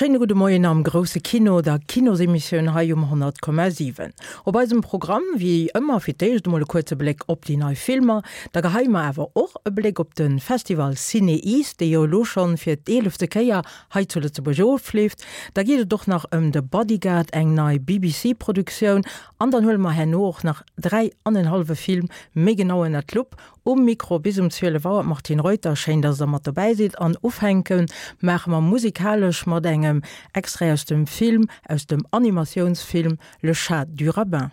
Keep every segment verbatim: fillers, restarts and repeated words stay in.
Schéine gudde Moien am grousse Kino, der Kinosemissioun hei um honnert Komma siwen. Op eisem Programm wéi ëmmer fir d'éischt emol e kuerze Bléck op déi nei Filmer, da geheie mer awer och e Bléck op de Festival CinEast, dee jo elo schonn fir d'eelefte Kéier hei zu Lëtzebuerg ofleeft. Da geet et och nach ëm The Bodyguard, eng nei B B C-Produktioun, an dann huele mer herno och nach dräi an en hallwe Film méi genau ënnert d'Lupp. Um Mikro bis um zwielef Auer d'Martine Reuter. Schéin, dass der mat dobäi sidd. An ufänke maache mer musikalesch mat engem Extrait aus dem Film, aus dem Animatiounsfilm Le Chat du Rabbin.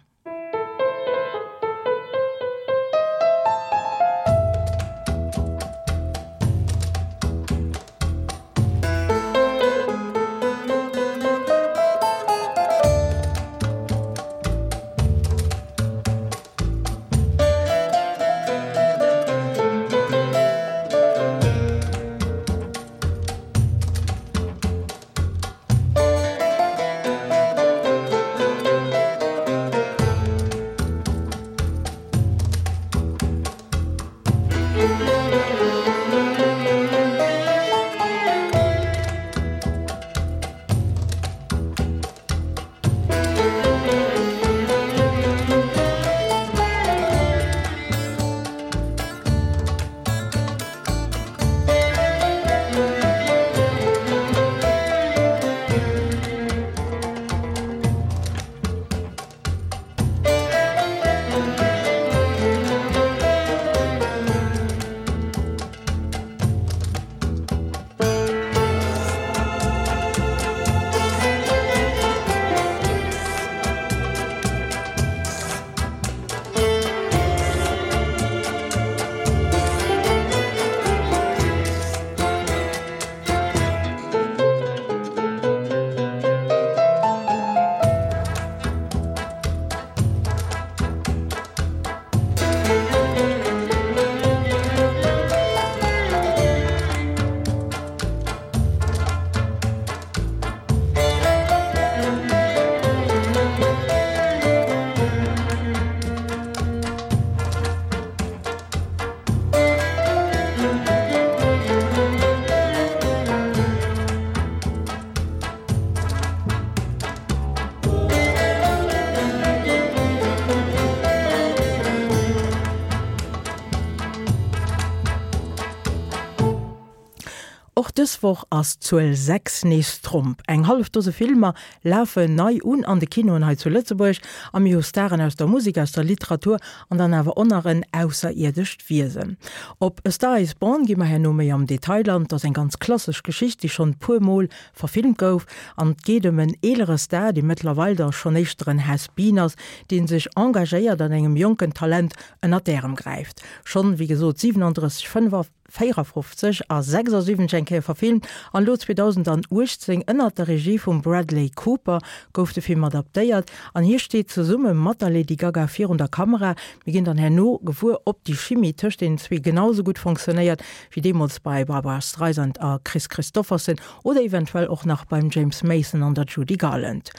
Och dës Woch ass d'Zuel sechs nees Tromp. Eng hallef Dose Filmer lafen nei un an de Kinoen hei zu Lëtzebuerg a mir hu Staren aus der Musek, aus der Literatur an dann awer och nach en ausserierdescht Wiesen. Op A Star Is Born gi mer herno méi am Detail an. Et ass eng ganz klassesch Geschicht, déi schonn e puer Mol verfilmt gouf an et geet ëm en eelere Star, dee mëttlerweil da schonn éischter en Has-Been ass, dee sech engagéiert an engem jonken Talent ënner d'Ärem gräift. Schonn, wéi gesot, siwenandrësseg, véierafofzeg a sechsasiwwenzeg eng Kéier verfilmt an elo zweedausendauechtzéng ënnert der Regie vum Bradley Cooper gouf de Film adaptéiert an hie steet zesumme mat der Lady Gaga virun der Kamera. Mir ginn dann herno gewuer, ob déi Chimie tëscht deenen zwee genau sou gutt fonctionnéiert wéi deemools bei Barbra Streisand a Kris Kristofferson oder eventuell och nach beim James Mason an der Judy Garland.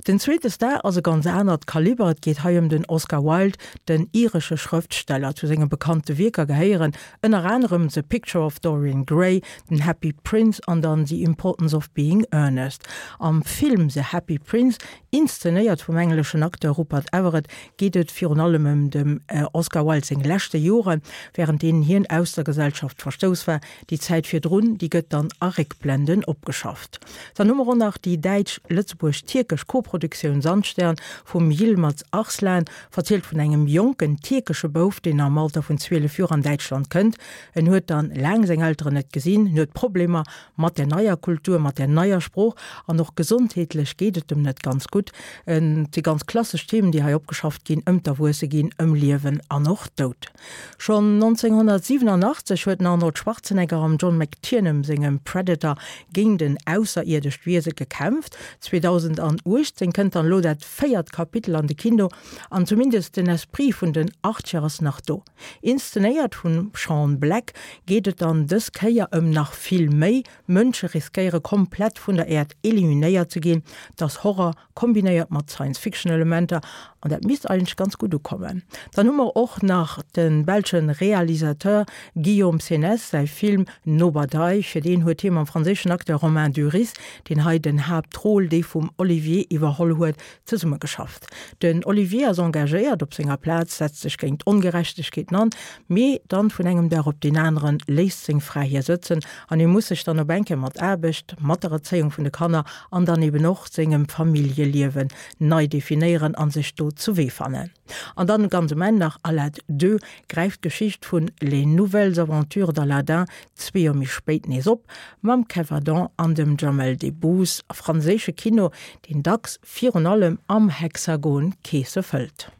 Den zweete Star ass e ganz anert Kaliber, et geet hei ëm den Oscar Wilde, den iresche Schrëftsteller. Zu senge bekannte Wierker gehéieren ënner anerem The Picture of Dorian Gray, den Happy Prince an dann The Importance of Being Earnest. Am Film The Happy Prince, inszenéiert vum engleschen Acteur Rupert Everett, geet et virun allem ëm dem Oscar Wilde seng leschte Joren, wärend deenen hien aus der Gesellschaft verstouss war. Déi Zäit virdrun, déi gëtt dann a Réckblenden opgeschafft. Dann hu mer och nach déi däitsch-lëtzebuerg-tierkesch Koproduktioun Sandstern vum Yilmaz Arslan, verzielt vun engem jonken tierkesche Bouf, deen am Alter vun zwielef Joer an Däitschland kënnt. En huet dann laang seng Elteren net gesinn, en huet Problemer mat der neier Kultur, mat der neier Sprooch an och gesondheetlech geet et em net ganz gutt. Et si ganz klassesch Themen, déi hei opgeschafft ginn, ëm d'Erwuesse ginn, ëm Liewen an och Doud. Schonn nonzénghonnertsiwenanachtzeg huet den Arnold Schwarzenegger am John McTiernan sengem Predator géint en ausserierdescht Wiese gekämpft. zweedausenduechtzéng kënnt dann elo dat véiert Kapitel an de Kino an zumindest den Esprit vun den Achtzeger ass nach do. Inszenéiert vum Sean Black geet et dann dës Kéier ëm nach vill méi, Mënsche riskéiere komplett vun der Äerd eliminéiert ze ginn. Et ass Horror kombinéiert mat Science-Fiction-Elementer An dat misst eigentlech ganz gutt ukommen. Dann hu mer och nach de belsche Realisateur Guillaume Senez säi Film Nobadai. Fir deen huet hie mam franséischen Acteur Romain Duris, deen hei den Haaptrôle, dee vum Olivier, iwwerholl huet, zesummegeschafft. Den Olivier ass engagéiert op senger Plaz, setzt sech géint Ongerechtegkeeten an, mee dann vun engem Dag op deen aneren léisst seng Fra hie sëtzen an hie muss sech dann op eng Kéier mat Aarbecht, mat der Erzéiung vun de Kanner an dann eben och sengem Familljeliewen nei definéieren an sech do zu Wee fannen. An dann ganz um Enn nach Alad deux gräift d'Geschicht vun Les nouvelles aventures d'Aladin zwee Joer méi spéit nees op, mam Kev Adant an dem Jamel Debbouze, a franséische Kino, deen dacks virun allem am Hexagon Keese fëllt.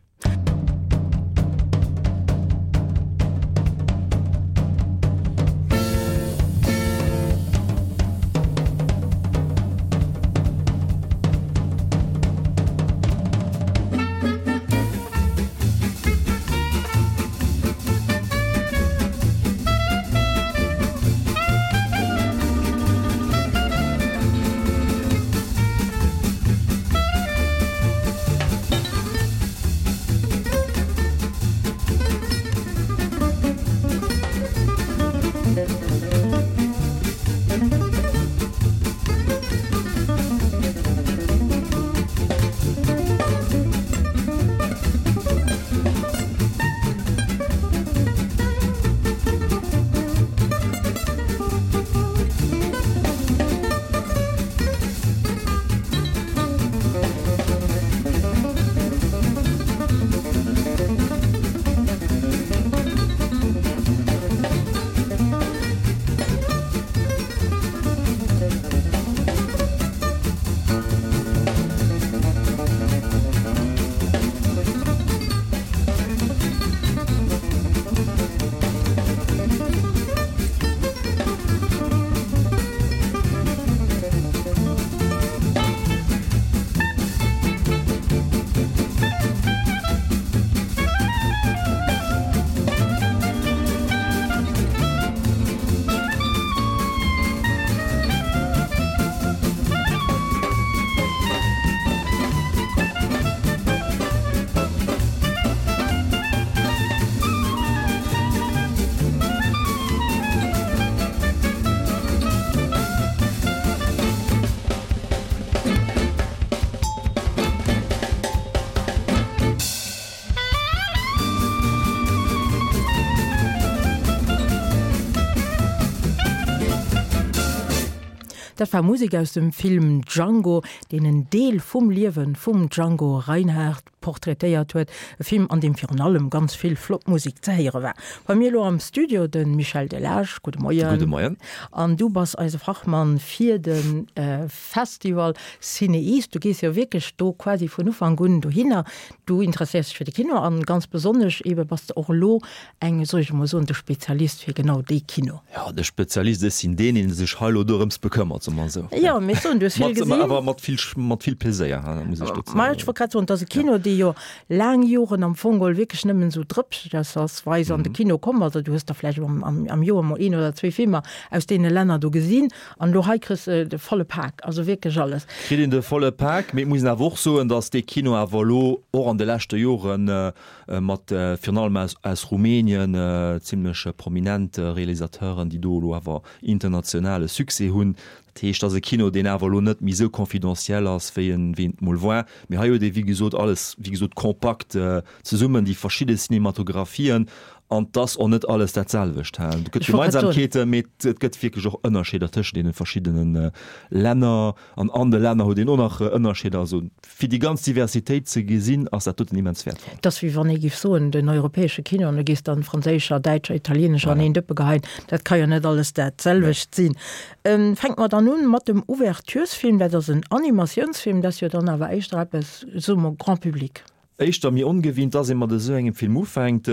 Dat war Musek aus dem Film Django, deen en Deel vum Liewe vum Django Reinhardt portraitéiert huet. E Film, an deem virun allem ganz vill flott Musek ze héiere war. Bei mir elo am Studio de Michel Delage. Gudde Moien. Gudde Moien. An du bass eise Fachmann fir de Festival CinEast. Du gees jo wierklech do quasi vun Ufank un dohinner. Du interesséiers dech fir de Kino an ganz besonnesch ebe bass de och elo eng, soll ech emol soen, de Spezialist fir genau dee Kino. Jo, de Spezialist, ech sinn deen, dee sech hei elo dorëms bekëmmert, soe mer esou. Jo, mee ech soen, du hues vill gesinn. Mat, awer mat vill, mat vill Pleséier, muss ech dozou. Ma ech wollt grad soen, et ass e Kino, dee jo laang Joren am Fong geholl wierklech nëmmen esou drëpsweis an de Kino komm ass. Du hues der vläicht am, am, am Joer mol een oder zwee Filmer aus deene Länner do gesinn. An elo hei kriss de de volle Pak, also wierklech alles. Kritt een de volle Pak, mee et muss een awer och soen, datt dee Kino awer elo och an de leschte Joren mat virun allem aus, aus Rumänien zimlech prominent Realisateuren, déi do elo awer internationale Succès hunn. Dat heescht, et ass e Kino, deen awer elo net méi esou confidentiel ass, wéi en, wéi en et mol war. Mee hei huet ee wéi gesot alles, wéi gesot, kompakt zesummen, déi verschidde Cinematographien. An 't ass och net alles dat selwecht. Et gëtt Gemeinsamkeeten, mee et gëtt wierklech och Ënnerscheeder tëschent deene verschiddene Länner. An an de Länner huet een och nach Ënnerscheeder. Also fir déi ganz Diversitéit ze gesinn, ass dat doten immens wäertvoll. Et ass wéi wann ee géif soen, den europäesche Kino, an du géifs dann franséischer, däitscher, italienescher an een Dëppe geheien. Dat ka jo net alles dat selwecht sinn. Fänke mer dann un mat dem Ouverturesfilm. Dat ass en Animatiounsfilm. Dat ass jo dann awer éischter eppes, soe mer, Grand public. Éischter méi ongewinnt ass, ier mat esou engem Film ufänkt.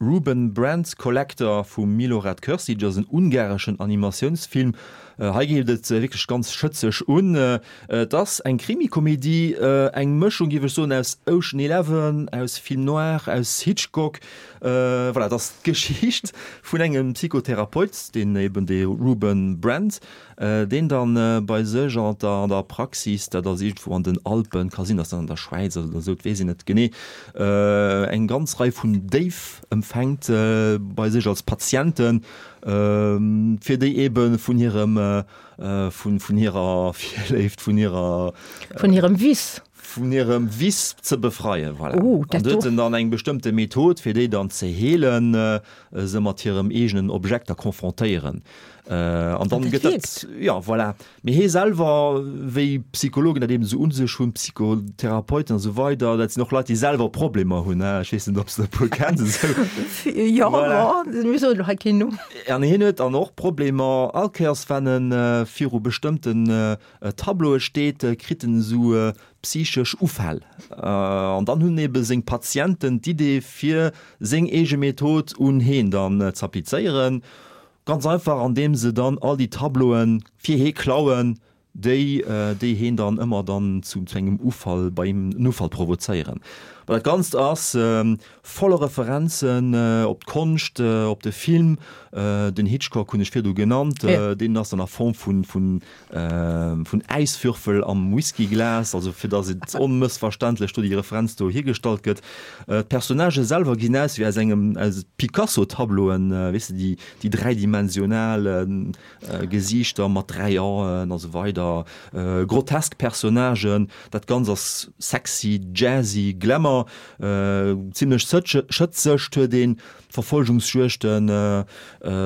Ruben Brand Collector vum Milorad Cursic ass en ungareschen Animatiounsfilm, Hei geet et wierklech ganz schëtzeg un. Et ass eng Krimikomedie, eng Mëschung, géif ech soen, aus Ocean Eleven, aus Film noir, aus Hitchcock. Voilà, et ass d'Geschicht vun engem Psychotherapeut, deen eben dee Ruben Brandt, deen dann bei sech an der an der Praxis, dat ass iergendwou an den Alpen, ka sinn, datt dat an der Schwäiz ass oder esou, et weess een net genee, eng ganz Rei vun Déif empfänkt bei sech als Patienten, fir déi ebe vun hirem, vun, vun hirer Virléift, vun hirer. Vun hirem Vice. Vun hirem Vice ze befreien, voilà. Oh, An dat do huet do. en dann eng bestëmmte Method, fir déi dann ze heelen, se mat hirem eegenen Objekter konfrontéieren. An dann Dat gëtt dat, wierkt. ja, voilà. Mee hie selwer, wéi Psychologen dat eben esou un sech hunn, Psychotherapeuten a sou weider, dat sinn och Leit, déi selwer Problemer hunn, ech weess net, ob s de e puer kenns esou. Jo, Voilà. mir soen elo hei keen Numm. An hien huet dann och Problemer, all Kéiers wann en viru bestëmmten Tableaue steet, kritt en esou psychesch Ufäll. An dann hunn ebe seng Patienten d'Idee fir seng eege Method un heen dann z'applizéieren. Ganz einfach andeem se dann all déi Tableauen fir hee klauen, déi déi heen dann ëmmer dann zu zu engem Ufall, bei him en Ufall provozéieren. Bon, dat Ganzt ass voller Referenzen op d'Konscht, op de Film, den Hitchcock hunn ech virdu genannt, deen ass dann a Form vun vun vun Äiswürfel am Whiskyglas, also fir datt et onmëssverständlech do déi Referenz do hiergestallt gëtt. D'Personnagë selwer gesinn aus wéi aus engem aus Picasso-Tableauen, weess de, déi déi dräidimensional Gesiichter mat dräi Aen a sou weider, grotesk Personnagen. Dat Ganzt ass sexy, jazzy, Glamour, zimlech schëtzeg, huet een Verfolgungsjuegten,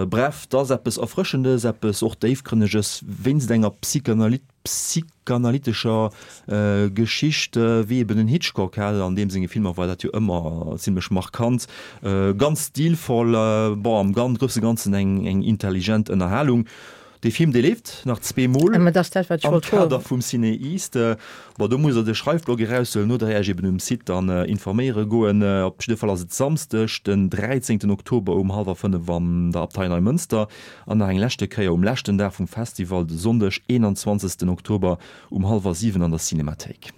bref, 't ass eppes Erfrëschendes, eppes och Déifgrënneges, wéinst enger psychanalytescher Geschicht, wéi eben den Hitchcock hat. An deem senge Filmer war dat jo ëmmer zimlech markant, ganz stilvoll, bon, am grousse Ganzen eng intelligent Ënnerhalung. Dee Film, dee leeft nach zwee Mol am Kader vum CinEast. Bon, do musst Der de Schreifblock eraushuelen oder Iech eben um Site dann informéiere goen. Op jidde Fall ass et Samsdeg, den dräizéngten Oktober um hallwer fënnef an der Abtei Neimënster an nach eng leschte Kéier um leschten Dag vum Festival, de Sonndeg, eenanzwanzegsten Oktober um hallwer siwen an der Cinemathéik.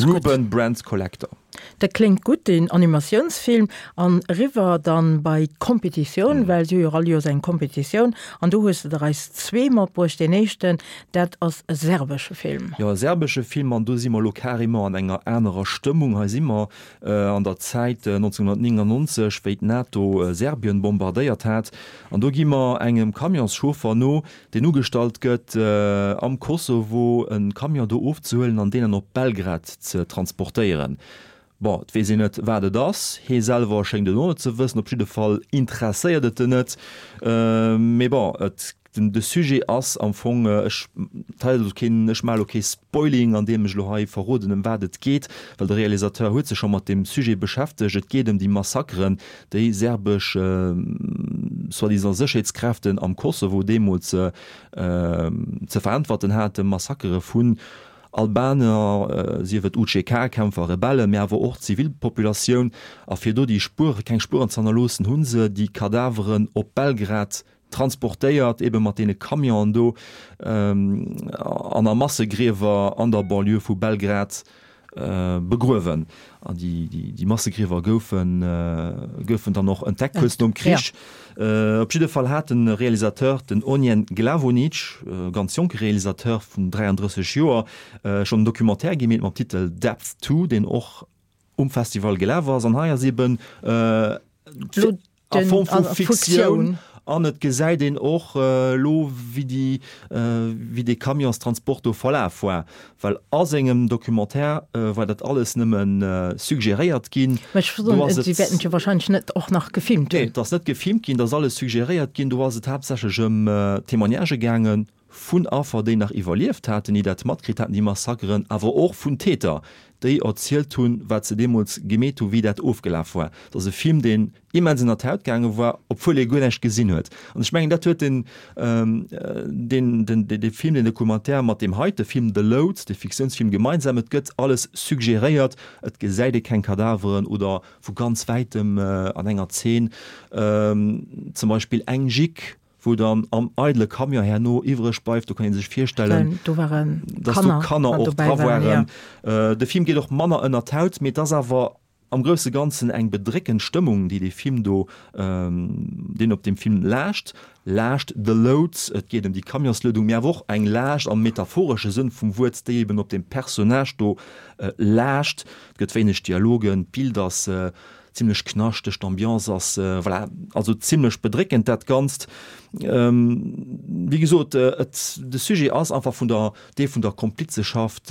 Ruben Brandt Collector. Dat kléngt gutt, deen Animatiounsfilm. An eriwwer dann bei d'Kompetitioun, well si hu jo all Joers eng Kompetitioun. An do hues de der eis zwee matbruecht. Deen éischten, dat ass e serbesche Film. Jo, e serbesche Film. An do si mer elo carrément an enger anerer Stëmmung. Hei si mer an der Zäit nonzénhunnertnéngannonzeg, wéi d'NATO Serbien bombardéiert hat. An do gi mer engem Camionschauffer no, deen ugestallt gëtt, am Kosovo e Camion do ofzehuelen an deen dann op Belgrad ze transportéieren. Bon, et weess een net, wat et ass. Hee selwer schéngt et och net ze wëssen. Op jidde Fall interesséiert et en net. Mee bon, et, den, de Sujet ass am Fong, ech teilen elo keen, ech maache elo kee Spoiling, andeem ech elo hei verroden, ëm wat et geet, well de Realisateur huet sech scho mat deem Sujet beschäftegt. Et geet ëm déi Massakeren, déi serbesch soi-disant Sécherheetskräften am Kosovo deemools ze veräntwerten haten, Massakere vun Albaner, sief et U C K-Kämpfer, Rebellen, mee awer och d'Zivilpopulatioun. A fir do déi Spuere, keng Spueren ze hannerloossen, hu se déi Kadaveren op Belgrad transportéiert, ebe mat deene Camionen do, an a Massegriewer an der Banlieue vu Belgrad begruewen. An déi Massegriewer goufen goufen dann och entdeckt kuerz nom Krich. Op jidde Fall hat de Realisateur, den Ognjen Glavonic, e ganz jonke Realisateur vun dräiandrësseg Joer, schonn en Documentaire gemeet mam Titel Depth Two, deen och um Festival gelaf ass. An hei ass eben a Form vu Fiktioun an et gesäit een och elo, wéi déi, wéi dee Camionstransport do verlaf war, well a sengem Documentaire war dat alles nëmme suggeréiert ginn. Mä ech Do ass et, si et. wäerten et jo wahrscheinlech net och nach gefilmt Nee, hunn. et ass net gefilmt ginn, et ass alles suggeréiert ginn. Do ass et haaptsächlech ëm Témoignagë gaangen vun Affer, déi nach iwwerlieft haten, déi dat matkritt haten, déi Massakeren, awer och vun Täter, déi erzielt hunn, wat se deemools gemeet hunn, wéi dat ofgelaf war. Et ass e Film, deen immens ënner d'Haut gaange war, obwuel ee guer näischt gesinn huet. An ech mengen, dat huet den, den, den, dee Film, deen Documentaire mat deem heite Film The Load, dee Fiktiounsfilm, gemeinsam, Et gëtt alles suggeréiert, et gesäit ee keng Kadaveren oder vu ganz wäitem an enger Zeen zum Beispill eng Gick, wou dann am eidele Camion herno iwwreg bleift, do kann ee sech virstellen, do waren dass do Kanner och dra waren. De Film geet och manner ënner d'Haut, mee et ass awer am grousse Ganzen eng bedréckend Stëmmung, déi dee Film do, deen op deem Film laascht. Laascht, The Load, et geet ëm déi Camionsluedung, mee awer och eng Laascht am metaphoresche Sënn vum Wuert, déi eben op deem Personnage do laascht. Et gëtt wéineg Dialogen, d'Bild ass zimlech knaschteg, d'Ambiance ass, voilà, also zimlech bedréckend dat Ganzt. Wéi gesot, et, de Sujet ass einfach vun der, dee vun der Komplizeschaft,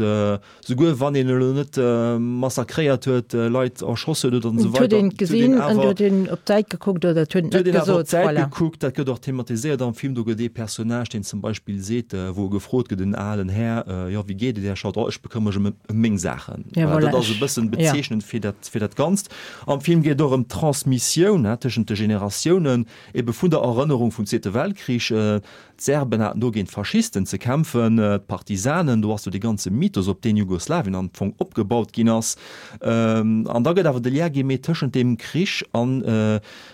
souguer wann een elo net massakréiert huet, Leit erschoss huet oder esou Et huet weider, een et huet een gesinn an et awer, huet een op d'Säit gekuckt oder et huet een et huet net een awer op gesot, d'Säit voilà. gekuckt. Dat gëtt och thematiséiert am Film. Do gëtt ee Personnage, deen zum Beispill seet, wou e gefrot gëtt, en alen Här, jo, wéi geet et Här Schaut? Oh, ech bekëmmere mech ëm meng Saachen. Ja, Voilà, voilà, dat ass e ech, bëssen ja. bezeechnend fir dat, fir dat Ganzt. Am Film geet et och ëm d'Transmissioun, hè, tëschent de Generatiounen, ebe vun der Erënnerung vum Zweete Weltkrich. D'Serben haten do géint d'Faschisten ze kämpfen, d'Partisanen, do ass do dee ganze Mythos, op deen Jugoslawien am Fong opgebaut ginn ass. An da gëtt awer de Lien gemeet tëschent deem Krich an,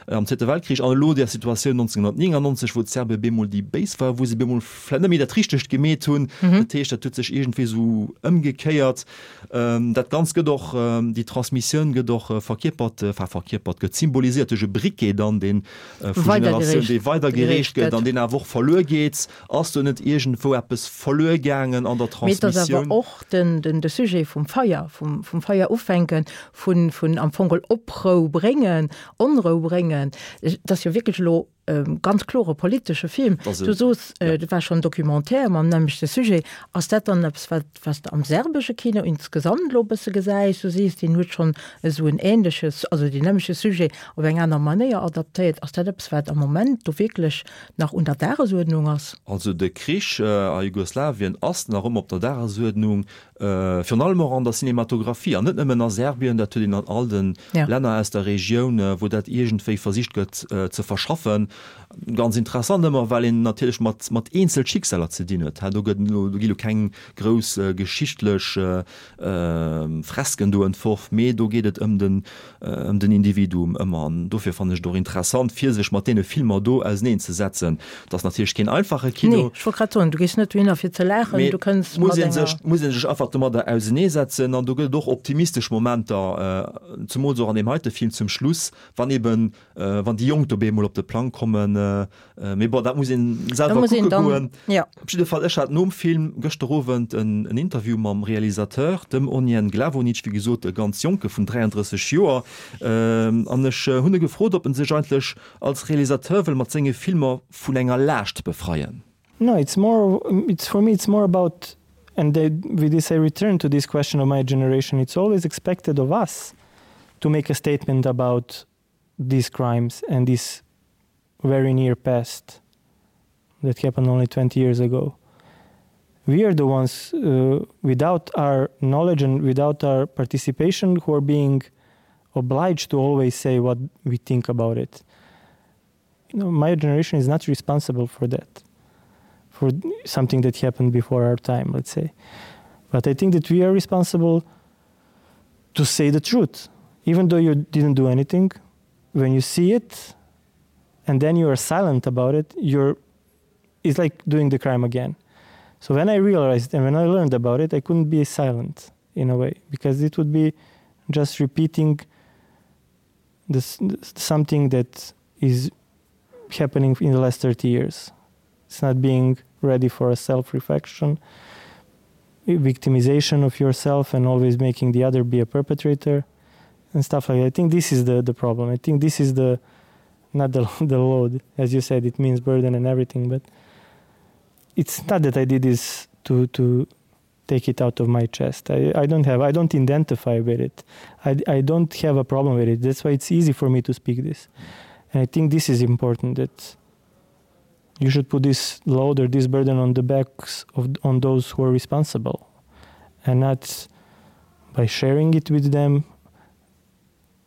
am Zweete Weltkrich an elo där Situatioun nonzénghunnertnéngannonzeg, wou d'Serbe bemol déi Béis waren, wou se bemol vläicht net méi dat Richtegt gemeet hunn. Dat heescht, dat huet sech iergendwéi esou ëmgekéiert. Dat Ganzt gëtt och, déi Transmissioun gëtt och verkierpert, enfin verkierpert, gëtt symboliséiert duerch e Briquet dann, deen vu Generatioun, dee weidergereecht gëtt an deen awer och verluer geet. Ass do net iergendwou eppes verluer gaangen an der Mee et ass awer Transmissioun? och den, den, de Sujet vum Feier, vum, vum Feier ufänken, vun, vun am Fong geholl Oprou bréngen, Onrou bréngen. Et ass jo wierklech elo e ganz klore politesche Film. Du soos, dat war schonn Documentaire mam nämmlechte Sujet. Ass dat dann eppes, wat, wat s de am serbesche Kino insgesamt elo e bësse gesäis? Du sees, deen huet schonn esou en ähnleches, also deen nämmlechte Sujet op eng aner Manéier adaptéiert. Ass dat eppes, wat am Moment do wierklech nach un der Dagesuerdnung ass? Also de Krich a Jugoslawien ass nach ëmmer op der Dagesuerdnung, virun allem och an der Cinematographie, an net nëmmen a Serbien, dat huet een an all de Länner aus der Regioun, wou dat iergendwéi versicht gëtt ze verschaffen. Ganz interessant ëmmer, well een natierlech mat mat eenzel Schicksaler ze dinn huet. Do gëtt elo, do gi lo keng grouss geschichtlech Fresken do entworf, mee do geet et ëm den ëm den Individuum ëmmer. An dofir fannen ech et och interessant, fir sech mat deene Filmer do auseneen ze setzen. Et ass natierlech keen einfache Nee, Kino. ech wollt grad soen, du gees net dohinner fir ze laachen, Mee du kënns muss mat ee enger. sech, muss ee sech einfach domadder auseneesetzen. An do gëtt et och optimistesch Momenter, zemools och an deem heite Film zum Schluss, wann eben, wann déi Jonk do bemol op de Plang kommen. Mee bon, dat muss een Da selwer muss een kucke dann, goen. jo. Op jidde Fall, ech hat nom Film gëschter Owend en Interview mam Realisateur, dem Ognjen Glavonic, wéi gesot e ganz Jonke vun dräiandrësseg Joer, an ech hunn e gefrot, ob en sech eigentlech als Realisateur wëll mat senge Filmer vun enger Laascht befreien. No, it's more, it's for me it's more about, and they, with this I return to this question of my generation, it's always expected of us to make a statement about these crimes and this very near past that happened only twenty years ago. We are the ones uh, without our knowledge and without our participation who are being obliged to always say what we think about it. You know, my generation is not responsible for that, for something that happened before our time, let's say. But I think that we are responsible to say the truth, even though you didn't do anything. When you see it and then you are silent about it, you're it's like doing the crime again. So when I realized and when I learned about it, I couldn't be silent in a way, because it would be just repeating this, this something that is happening in the last thirty years. It's not being ready for a self-reflection, victimization of yourself and always making the other be a perpetrator and stuff like that. I think this is the, the problem. I think this is the not the, the load, as you said, it means burden and everything, but it's not that I did this to, to take it out of my chest. I, I don't have, I don't identify with it. I, I don't have a problem with it. That's why it's easy for me to speak this. And I think this is important, that you should put this load or this burden on the backs of on those who are responsible, and not by sharing it with them,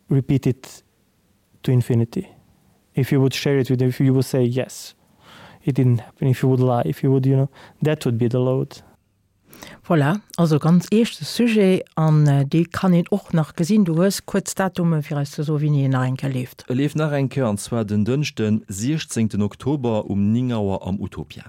repeat it to infinity. If you would share it with them, if you would say, yes, it didn't happen, if you would lie, if you would, you know, that would be the load. Voilà, also ganz eeschte Sujet an dee kann een och nach gesinn. Du hues kuerz Datume fir eis ze soen, wéini en nach eng Kéier leeft. E leeft nach eng Kéier, an zwar den Dënschden, siechzéngten Oktober um néng Auer am Utopia.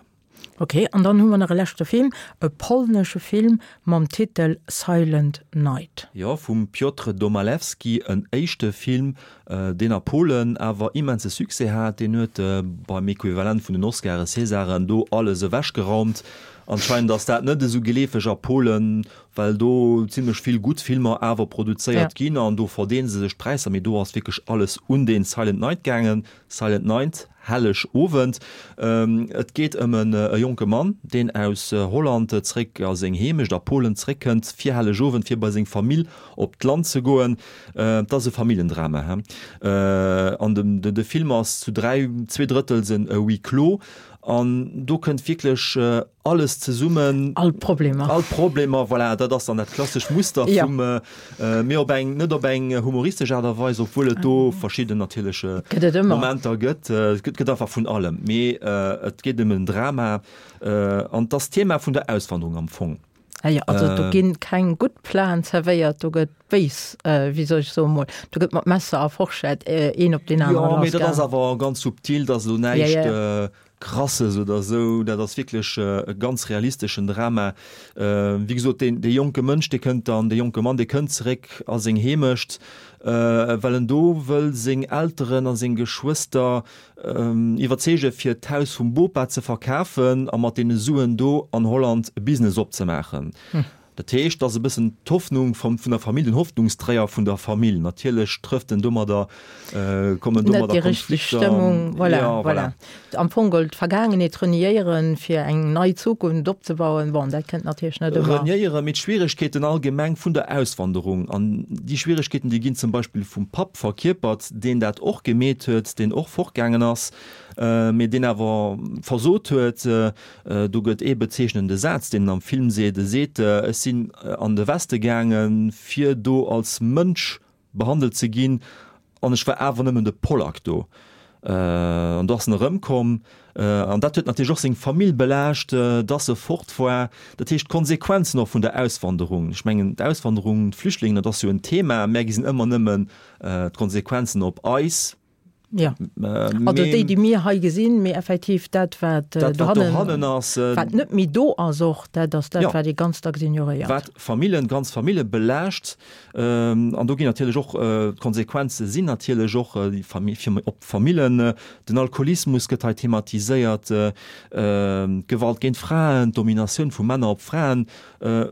Ok, an dann hu mer nach e leschte Film, e polnesche Film mam Titel Silent Night. Jo, vum Piotr Domalewski, en éischte Film, deen a Polen awer immense Succès hat. Deen huet beim Equivalent vun den Oscaren, Césaren, do alles ewechgeraumt. Anscheinend ass dat net esou geleefeg a Polen, well do zimlech vill gutt Filmer awer produzéiert ginn an do verdeele se sech d'Präisser. Mee do ass wierklech alles un deen Silent Night gaangen. Silent Night, Helleg Owend. Et geet ëm e jonke Mann, deen aus Holland zréck a seng Heemecht a Polen zréckkënnt fir Helleg Owend, fir bei seng Famill op d'Land ze goen. Et ass e Familljendrama. An de Film ass zu dräi, zwee Drëttels en Huis clos. An do kënnt wierklech alles zesummen. All d'Problemer. All d'Problemer, voilà, dat ass dann dat klassescht Muster vum, mee op eng, net op eng humoristesch Aart a Weis, obwuel et do verschidden natierlech Momenter gëtt. Et gëtt einfach vun allem, mee et geet ëm en Drama an et ass d'Thema vun der Auswanderung am Fong. Ah jo, also do ginn keng gutt Platen zerwéiert, do gëtt béis, wéi soll ech soen mol, do gëtt mat Messer a Forschett een op deen aneren lassgaangen. Jo, mee dat ass awer ganz subtil, dat ass elo näischt Krasses oder esou, dat ass wierklech e ganz realisteschen Drama. Wéi gesot, deen, dee jonke Mënsch, dee kënnt dann, dee jonke Mann, dee kënnt zeréck a seng Heemecht, well en do wëll seng Elteren a seng Geschwëster iwwerzeege fir d'Haus vum Bopa ze verkafen a mat deene Suen do an Holland e Business opzemaachen. Dat heescht, dat ass e bëssen d'Hoffnung vum, vun der Famill, den Hoffnungsträger vun der Famill. Natierlech trëfft en domadder, kommen domadder Net déi richteg Konflikter. Stëmmung, voilà, ja, voilà. Voilà. Am Fong geholl d'Vergaangenheet reniéieren, fir eng nei Zukunft opzebauen. Bon, dat kënnt natierlech net ëmmer. Reniéieren, mee d'Schwieregkeeten allgemeng vun der Auswanderung. An déi Schwieregkeeten, déi ginn zum Beispill vum Papp verkierpert, deen dat och gemeet huet, deen och fortgaangen ass, mee deen awer versot huet. Do gëtt ee bezeechnende Saz, deen en am Film seet, E seet, Ech sinn an de Weste gaangen, fir do als Mënsch behandelt ze ginn, an ech war awer nëmmen de Pollack do. An do ass en erëmkomm. An dat huet natierlech och seng Famill belaascht, dass e fort war. Dat heescht, d'Konsequenzen och vun der Auswanderung. Ech mengen, d'Auswanderung, d'Flüchtlingen, dat ass jo en Thema. Mär gesinn ëmmer nëmmen d'Konsequenzen op eis. Ja. Also déi, déi mir hei gesinn, mee effektiv dat, wat dohannen ass, wat net méi do ass och, dat ass dat, wat ee ganz dacks ignoréiert. Wat Famillen, ganz Famille belaascht. An do ginn natierlech och, d'Konsequenze sinn natierlech och op d'Famillen. Den Alkoholismus gëtt hei thematiséiert, d'Gewalt géint Fraen, d'Dominatioun vu Männer op Fraen.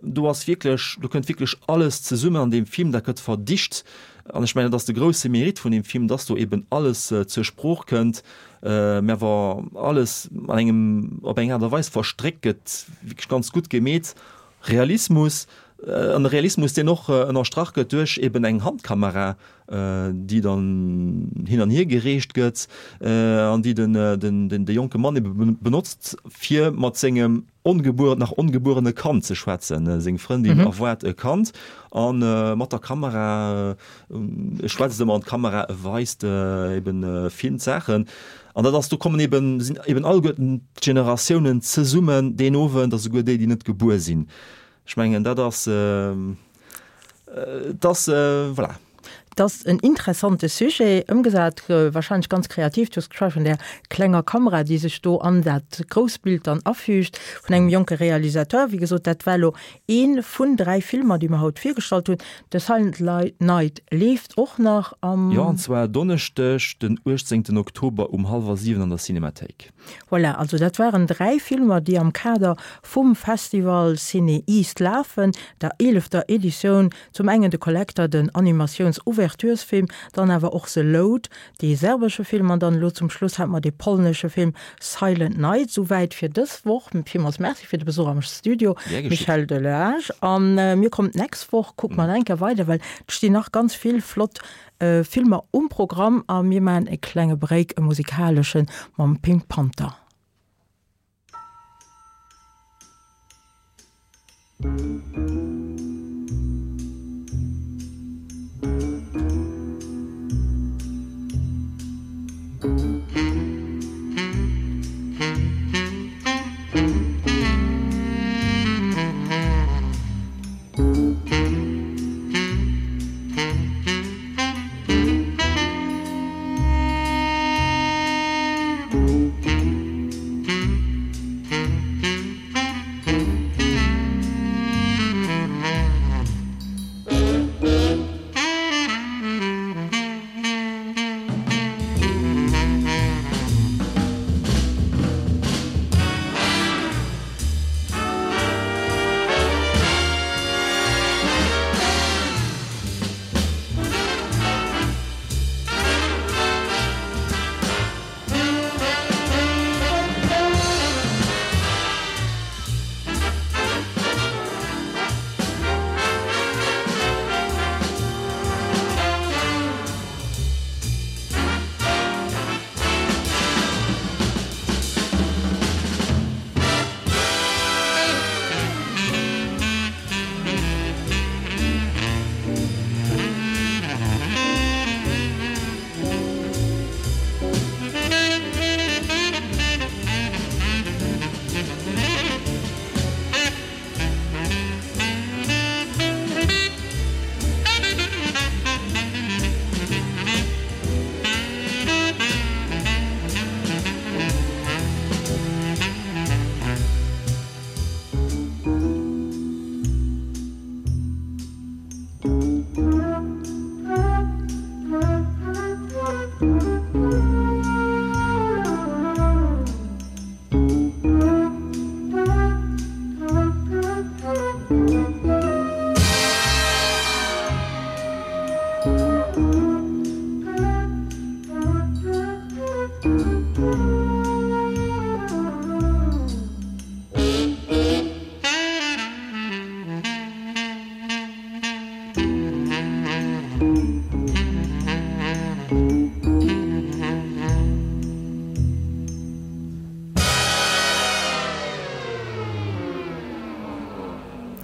Do ass wierklech, do kënnt wierklech alles zesummen an deem Film, dat gëtt verdicht. An ech mengen, dat ass de grousse Mérite vun deem Film, dass do eben alles zur Sprooch kënnt, mä awer alles an engem, op eng Aart a Weis verstréckt gëtt, wierklech ganz gutt gemeet. Realismus, an e Realismus, deen och ënnerstrach gëtt duerch eben eng Handkamera, déi dann hin an hier gereecht gëtt an déi den, den, de jonke Mann ebe benotzt, fir mat sengem ongebuer, nach ongebuerene Kand ze schwätzen. Seng Frëndin erwaart e Kand a mat der Kamera, e schwätzt ëmmer an d'Kamera, e weist eben, filmt Saachen. An dat ass, do kommen eben, sinn eben alleguerten d'Generatiounen zesummen deen Owend, a souguer déi, déi net gebuer sinn. Ech mengen, dat ass, et ass, voilà. Et ass en interessante Sujet, ëmgesat wahrscheinlech ganz kreativ. Du hues geschwat vun där klenger Kamera, déi sech do an dat grousst Bild dann afügt, vun engem jonke Realisateur. Wéi gesot, dat war elo ee vun dräi Filmer, déi mer haut virgestallt hunn. The Silent Night leeft och nach am. Jo, an zwar Donneschdeg, den uechtzéngten Oktober um hallwer siwen an der Cinemathéik. Voilà, also dat waren dräi Filmer, déi am Kader vum Festival CinEast lafen, der eelefter Editioun. Zum engen de Collector, den Animatiouns-Ouverturesfilm, dann awer och The Load, dee serbesche Film an dann elo zum Schluss hate mer dee polnesche Film Silent Night. Souwäit fir dës Woch. Villmools Merci fir de Besuch am Studio, Michel Delage. A mir kommen d'nächst Woch, kucke mer nach eng Kéier weider, well et stinn nach ganz vill flott Filmer um Programm a mir maachen e klenge Break, e musikaleschen, mam Pink Panther.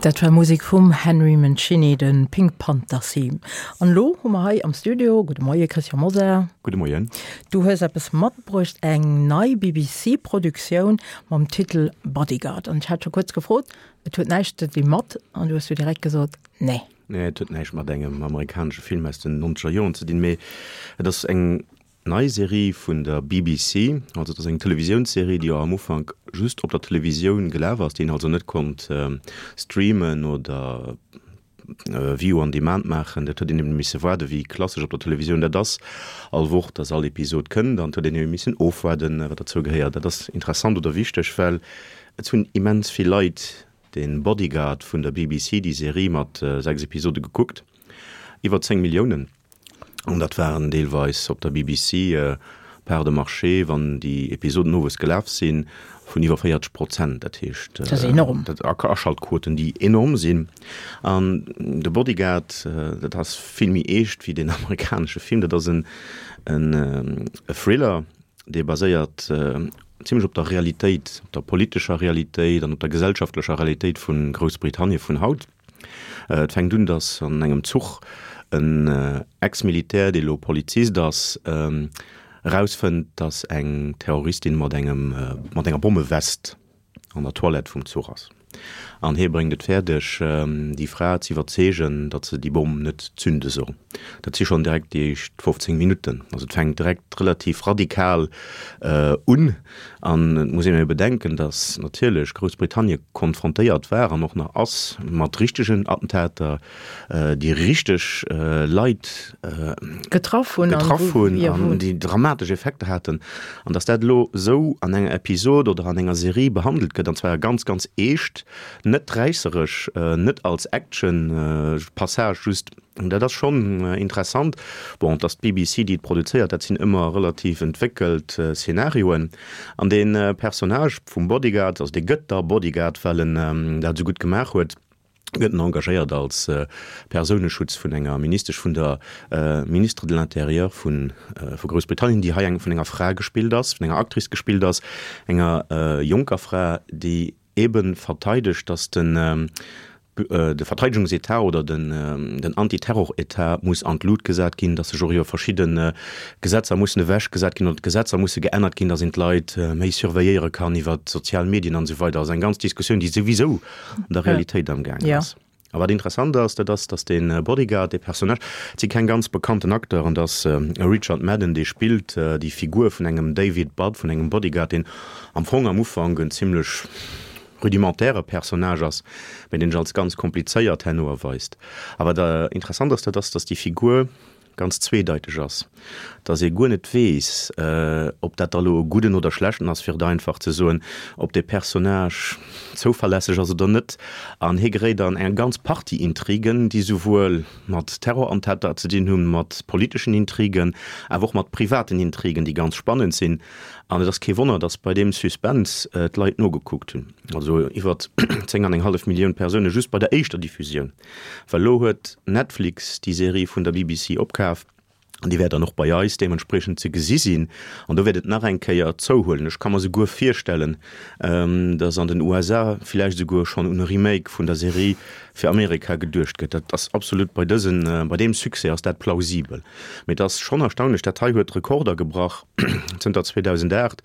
Dat war Musek vum Henry Mancini, de Pink Panther Theme. An lo hu mer hei am Studio, gudde Moie Christian Mosar. Gudde Moien. Du hues eppes matbruecht, eng nei BBC-Produktioun mam Titel Bodyguard. An ech hat scho kuerz gefrot, et huet näischt ze di mat, an du hues du direkt gesot, nee. Nee, et huet näischt mat engem amerikanesche Film aus den nonzeger Joren ze dinn, mee et ass eng nei Serie vun der B B C, also et ass eng Televisiounsserie, déi och am Ufank just op der Televisioun gelaf ass, déi een also net konnt streamen oder View on Demand maachen. Dat huet een eben misse waarden, wéi klassesch op der Televisioun dat ass, all Woch, dass all Episod kënnt, an et huet een eben missen ofwaarden, wat derzou gehéiert. Dat ass interessant oder wichteg, well et hunn immens vill Leit de Bodyguard vun der B B C, déi Serie mat sechs Episode gekuckt, iwwer zéng Milliounen. An dat waren deelweis op der B B C Parts de marché, wann déi Episoden owes gelaf sinn, vun iwwer véierzeg Prozent. Dat heescht, Dat ass enorm. Dat Aschaltquoten, déi enorm sinn. An de Bodyguard, dat ass vill méi eescht wéi den amerikanesche Film. Dat ass en, en, e Thriller, dee baséiert zimlech op der Realitéit, op der politescher Realitéit an op der gesellschaftlecher Realitéit vu Groussbritannien vun haut. Et fänkt un, dass an engem Zuch en Ex-Militär, dee lo Polizist ass, erausfënnt, dass eng Terroristin mat engem, mat enger Bommewest an der Toilette vum Zuch ass. An hie bréngt et fäerdeg, déi Fra ze iwwerzeegen, datt se déi Bomm net zünde soll. Dat si schonn direkt déi éischt fofzéng Minutten. Also et fänkt direkt relativ radikal un. An et muss een ebe bedenken, datt natierlech Groussbritannien konfrontéiert war an och nach ass mat richtegen Attentater, déi richteg Leit getraff hunn getraff hunn an déi dramatesch Effekter haten. An datt dat elo esou an enger Episod oder an enger Serie behandelt gëtt, an zwar ganz, ganz eescht, net räisseresch, net als Action-Passage just, dat ass schonn interessant. Bon, et ass d'B B C, déi et produzéiert, dat sinn ëmmer relativ entwéckelt Szenarioen. An dee Personnage vum Bodyguard, also dee gëtt da Bodyguard, well en dat esou gutt gemaach huet, gëtt en engagéiert als Persouneschutz vun enger Ministesch, vun der Ministre de l'Intérieur vu vu Groussbritannien, déi hei eng vun enger Fra gespillt ass, vun enger Actrice gespillt ass, enger jonker Fra, déi eben verteidegt, dass den de Verteidegungsetat oder den den Antiterroretat muss an d'Lut gesat ginn, dass sech och iwwer verschidde Gesetzer mussen ewechgesat ginn oder d'Gesetzer musse geännert ginn, dass een d'Leit méi surveilléiere kann iwwer d'sozial Medien an esou weider. Also eng ganz Diskussioun, déi souwisou an der Realitéit amgaangen ass. A wat interessant ass, dat ass, dass dee Bodyguard, dee Personnage, et si keng ganz bekannten Acteuren, dass e Richard Madden, dee spillt déi Figur vun engem David Budd, vun engem Bodyguard, deen am Fong am Ufank en zimlech rudimentäre Personnage ass, mä deen sech als ganz komplizéiert herno erweist. A wat interessant ass, dat ass, dass déi Figur ganz zweedeiteg ass, dass ee guer net weess, ob dat da lo e gudden oder schlechten ass, fir et einfach ze soen, ob dee Personnage zouverlässeg ass oder net. An hie geréit an eng ganz Partie Intrigen, déi souwuel mat Terrorattentater ze dinn hunn, mat politeschen Intrigen, awer och mat privaten Intrigen, déi ganz spannend sinn. An et ass kee Wonner, dass bei deem Suspense d'Leit nogekuckt hunn, also iwwer zéng an eng hallef Millioun Persoune just bei der éischter Diffusioun. Well elo huet Netflix déi Serie vun der B B C opkaf an déi wäert dann och bei eis deementspriechend ze gesi sinn. An do wäert et nach eng Kéier zouhuelen. Ech ka mer souguer virstellen, dass an den U S A villäicht esouguer schonn un e Remake vun der Serie fir Amerika geduecht gëtt. Dat ass absolut bei dësen, bei deem Succès ass dat plausibel. Mee et ass schonn erstaunlech, dat hei huet Rekorder gebrach zënter zweedausendacht,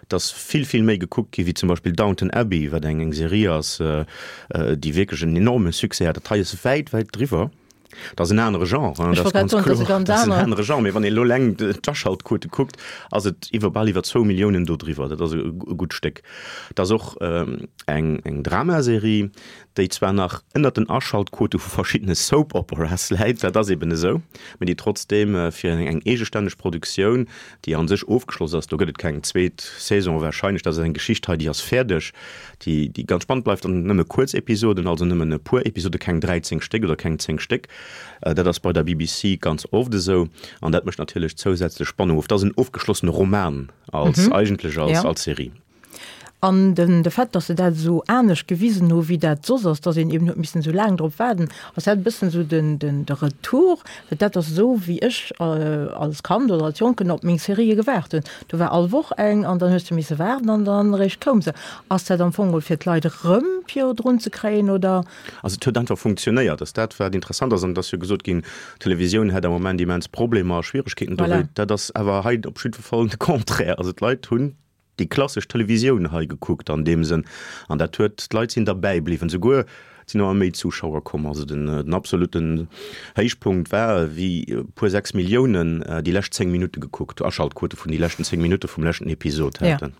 dass vill, vill méi gekuckt gi wéi zum Beispill Downton Abbey, wat eng eng Serie ass, déi wierklech en enorme Succès hat. Dat hei ass wäit, wäit driwwer. Dat ass en anere Genre, dat ass ganz kloer, dat ass en anere Genre. Mee wann een elo eleng d'Aschaltquote kuckt, ass et iwwer, bal iwwer zwou Milliounen do driwwer. Dat ass e gutt Stéck. Dat ass och eng eng Dramaserie, déi zwar nach ënnert den Aschaltquote vu verschiddene Soap Operas läit, dat ass eben esou, mee déi trotzdeem fir eng eegestänneg Produktioun, déi a sech ofgeschloss ass, do gëtt et keng zweet Saison warscheinlech, dat ass eng Geschicht hei, déi ass fäerdeg, déi déi ganz spannend bleift an nëmme kuerz Episoden, also nëmmen e puer Episode, keng dräizéng Stéck oder keng zéng Stéck. Dat ass bei der B B C ganz oft esou an dat mécht natierlech zousätzlech Spannung of. Dat ass en ofgeschlossene Roman als eigentlech als als Serie. An den de Fait, datt se dat esou anescht gewisen hu wéi dat soss ass, datt een eben huet missen esou laang drop waarden, ass dat e bëssen esou den den de Retour, well dat ass esou wéi ech als Kand oder als Jonken op meng Serië gewaart hunn. Do war all Woch eng an dann hues de misse waarden an dann eréischt koum se. Ass dat am Fong fir d'Leit erëm fir drun ze kréien oder? Also et huet einfach funktionéiert, ass dat wat interessant ass an et ass jo gesot ginn, d'Televisioun hätt am Moment immens Problemer a Schwieregkeeten dowéint. Voilà. Dat ass awer hei op jiddwer Fall de Contraire. Also d'Leit hunn déi klassesch Televisioun hei gekuckt an deem Sënn, an dat huet, d'Leit sinn derbäi bliwwen, souguer et sinn ëmmer méi Zuschauer komm. Also den, den absolutten Héichpunkt war, wéi e puer sechs Milliounen déi lescht zéng Minutte gekuckt, Aschaltquote vun déi leschten zéng Minutte vum leschten Episod haten.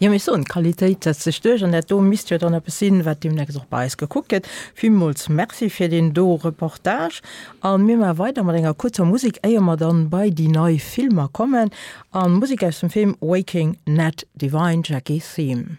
Jo, mee ech soen, d'Qualitéit setzt sech duerch an dat do misst jo dann eppes sinn, wat deemnächst och bei eis gekuckt gëtt. Villmools Merci fir deen do Reportage. A mir maache weider mat enger kuerzer Musek, éier mer dann bei déi nei Filmer kommen. A Musek aus dem Film Waking Ned Devine, Jackie Theme.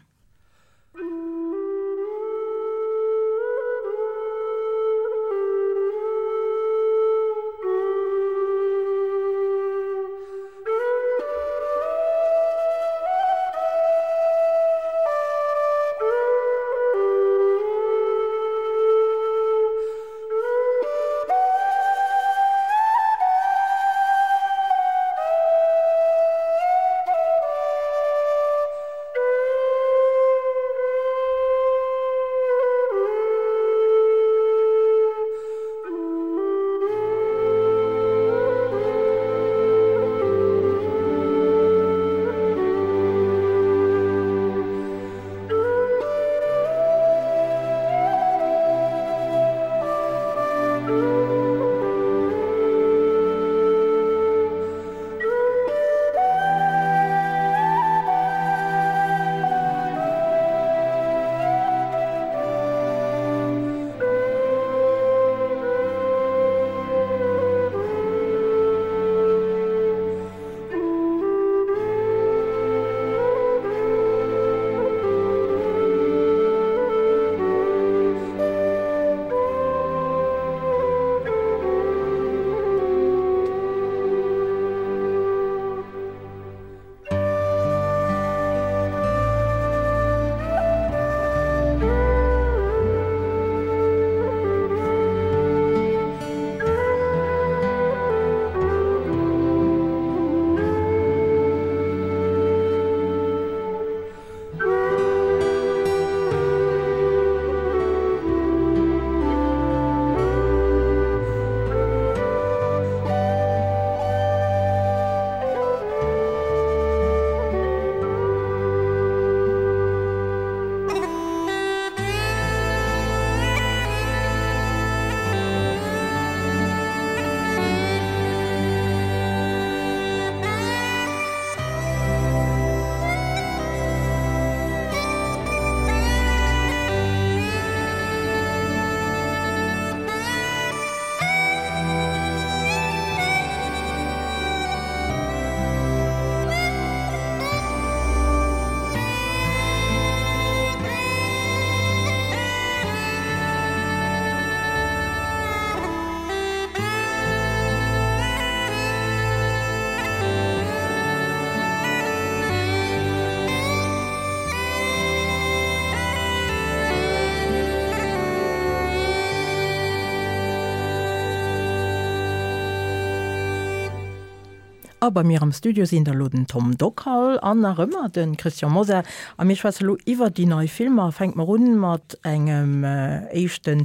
A bei mir am Studio sinn da lo den Tom Dockal an nach ëmmer de Christian Mosar. A mir schwätze lo iwwer déi nei Filmer. Fänke mer un mat engem éischte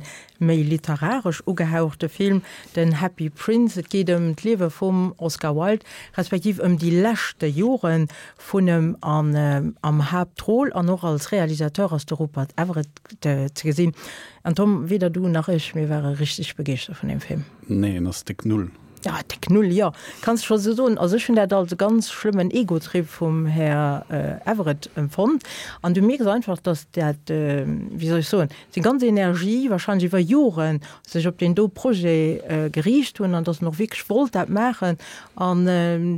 méi literaresch ugehauchte Film, den Happy Prince. Et geet ëm d'Liewe vum Oscar Wilde, respektiv ëm déi leschte Jore vun em an am Haaptrôle an och als Realisateur ass de Rupert Everett ze gesinn. An Tom, weder du nach ech, mir ware richteg begeeschtert vun deem Film. Nee, en ass déck null. Ja, déck Null, jo, kanns de scho sou soen. Also ech hunn dat als e ganz schlëmmen Egotrip vum Här Everett empfonnt. An du mierks einfach, datt dat, wéi soll ech soen, seng ganz Energie wahrscheinlech iwwer Joren sech op deen do Projet geriicht hunn an datt en och wierklech wollt dat maachen. An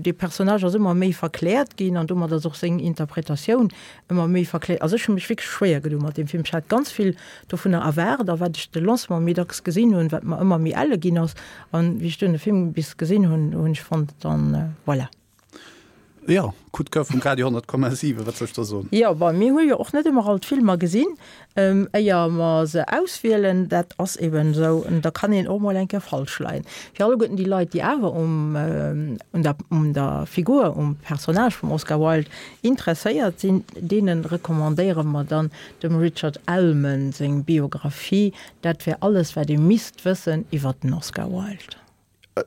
dee Personnage ass ëmmer méi verkläert ginn an domat ass och seng Interpretatioun ëmmer méi verkläert. Also ech hu mech wierklech schwéier gedoen mat deem Film. Ech hat ganz vill dovunner erwaart a wat ech de Lancement méi dacks gesinn hunn, wat mer ëmmer méi elle ginn ass. An wéi ech dunn de Film bis gesinn hunn, hunn ech fonnt, dann voilà. Jo, Coup de Coeur vum Radio honnert Komma siwen, wat soll ech da soen? Jo, bon, mir hu jo och net ëmmer all d'Filmer gesinn, éier mer se auswielen. Dat ass eben esou, an da kann een och mol eng Kéier falsch leien. Fir alleguerten déi Leit, déi awer um, un der, un der Figur, um Personnage vum Oscar Wilde interesséiert sinn, deene recommandéiere mer dann dem Richard Ellmann seng Biographie. Dat wär alles, wat ee misst wëssen iwwer den Oscar Wilde.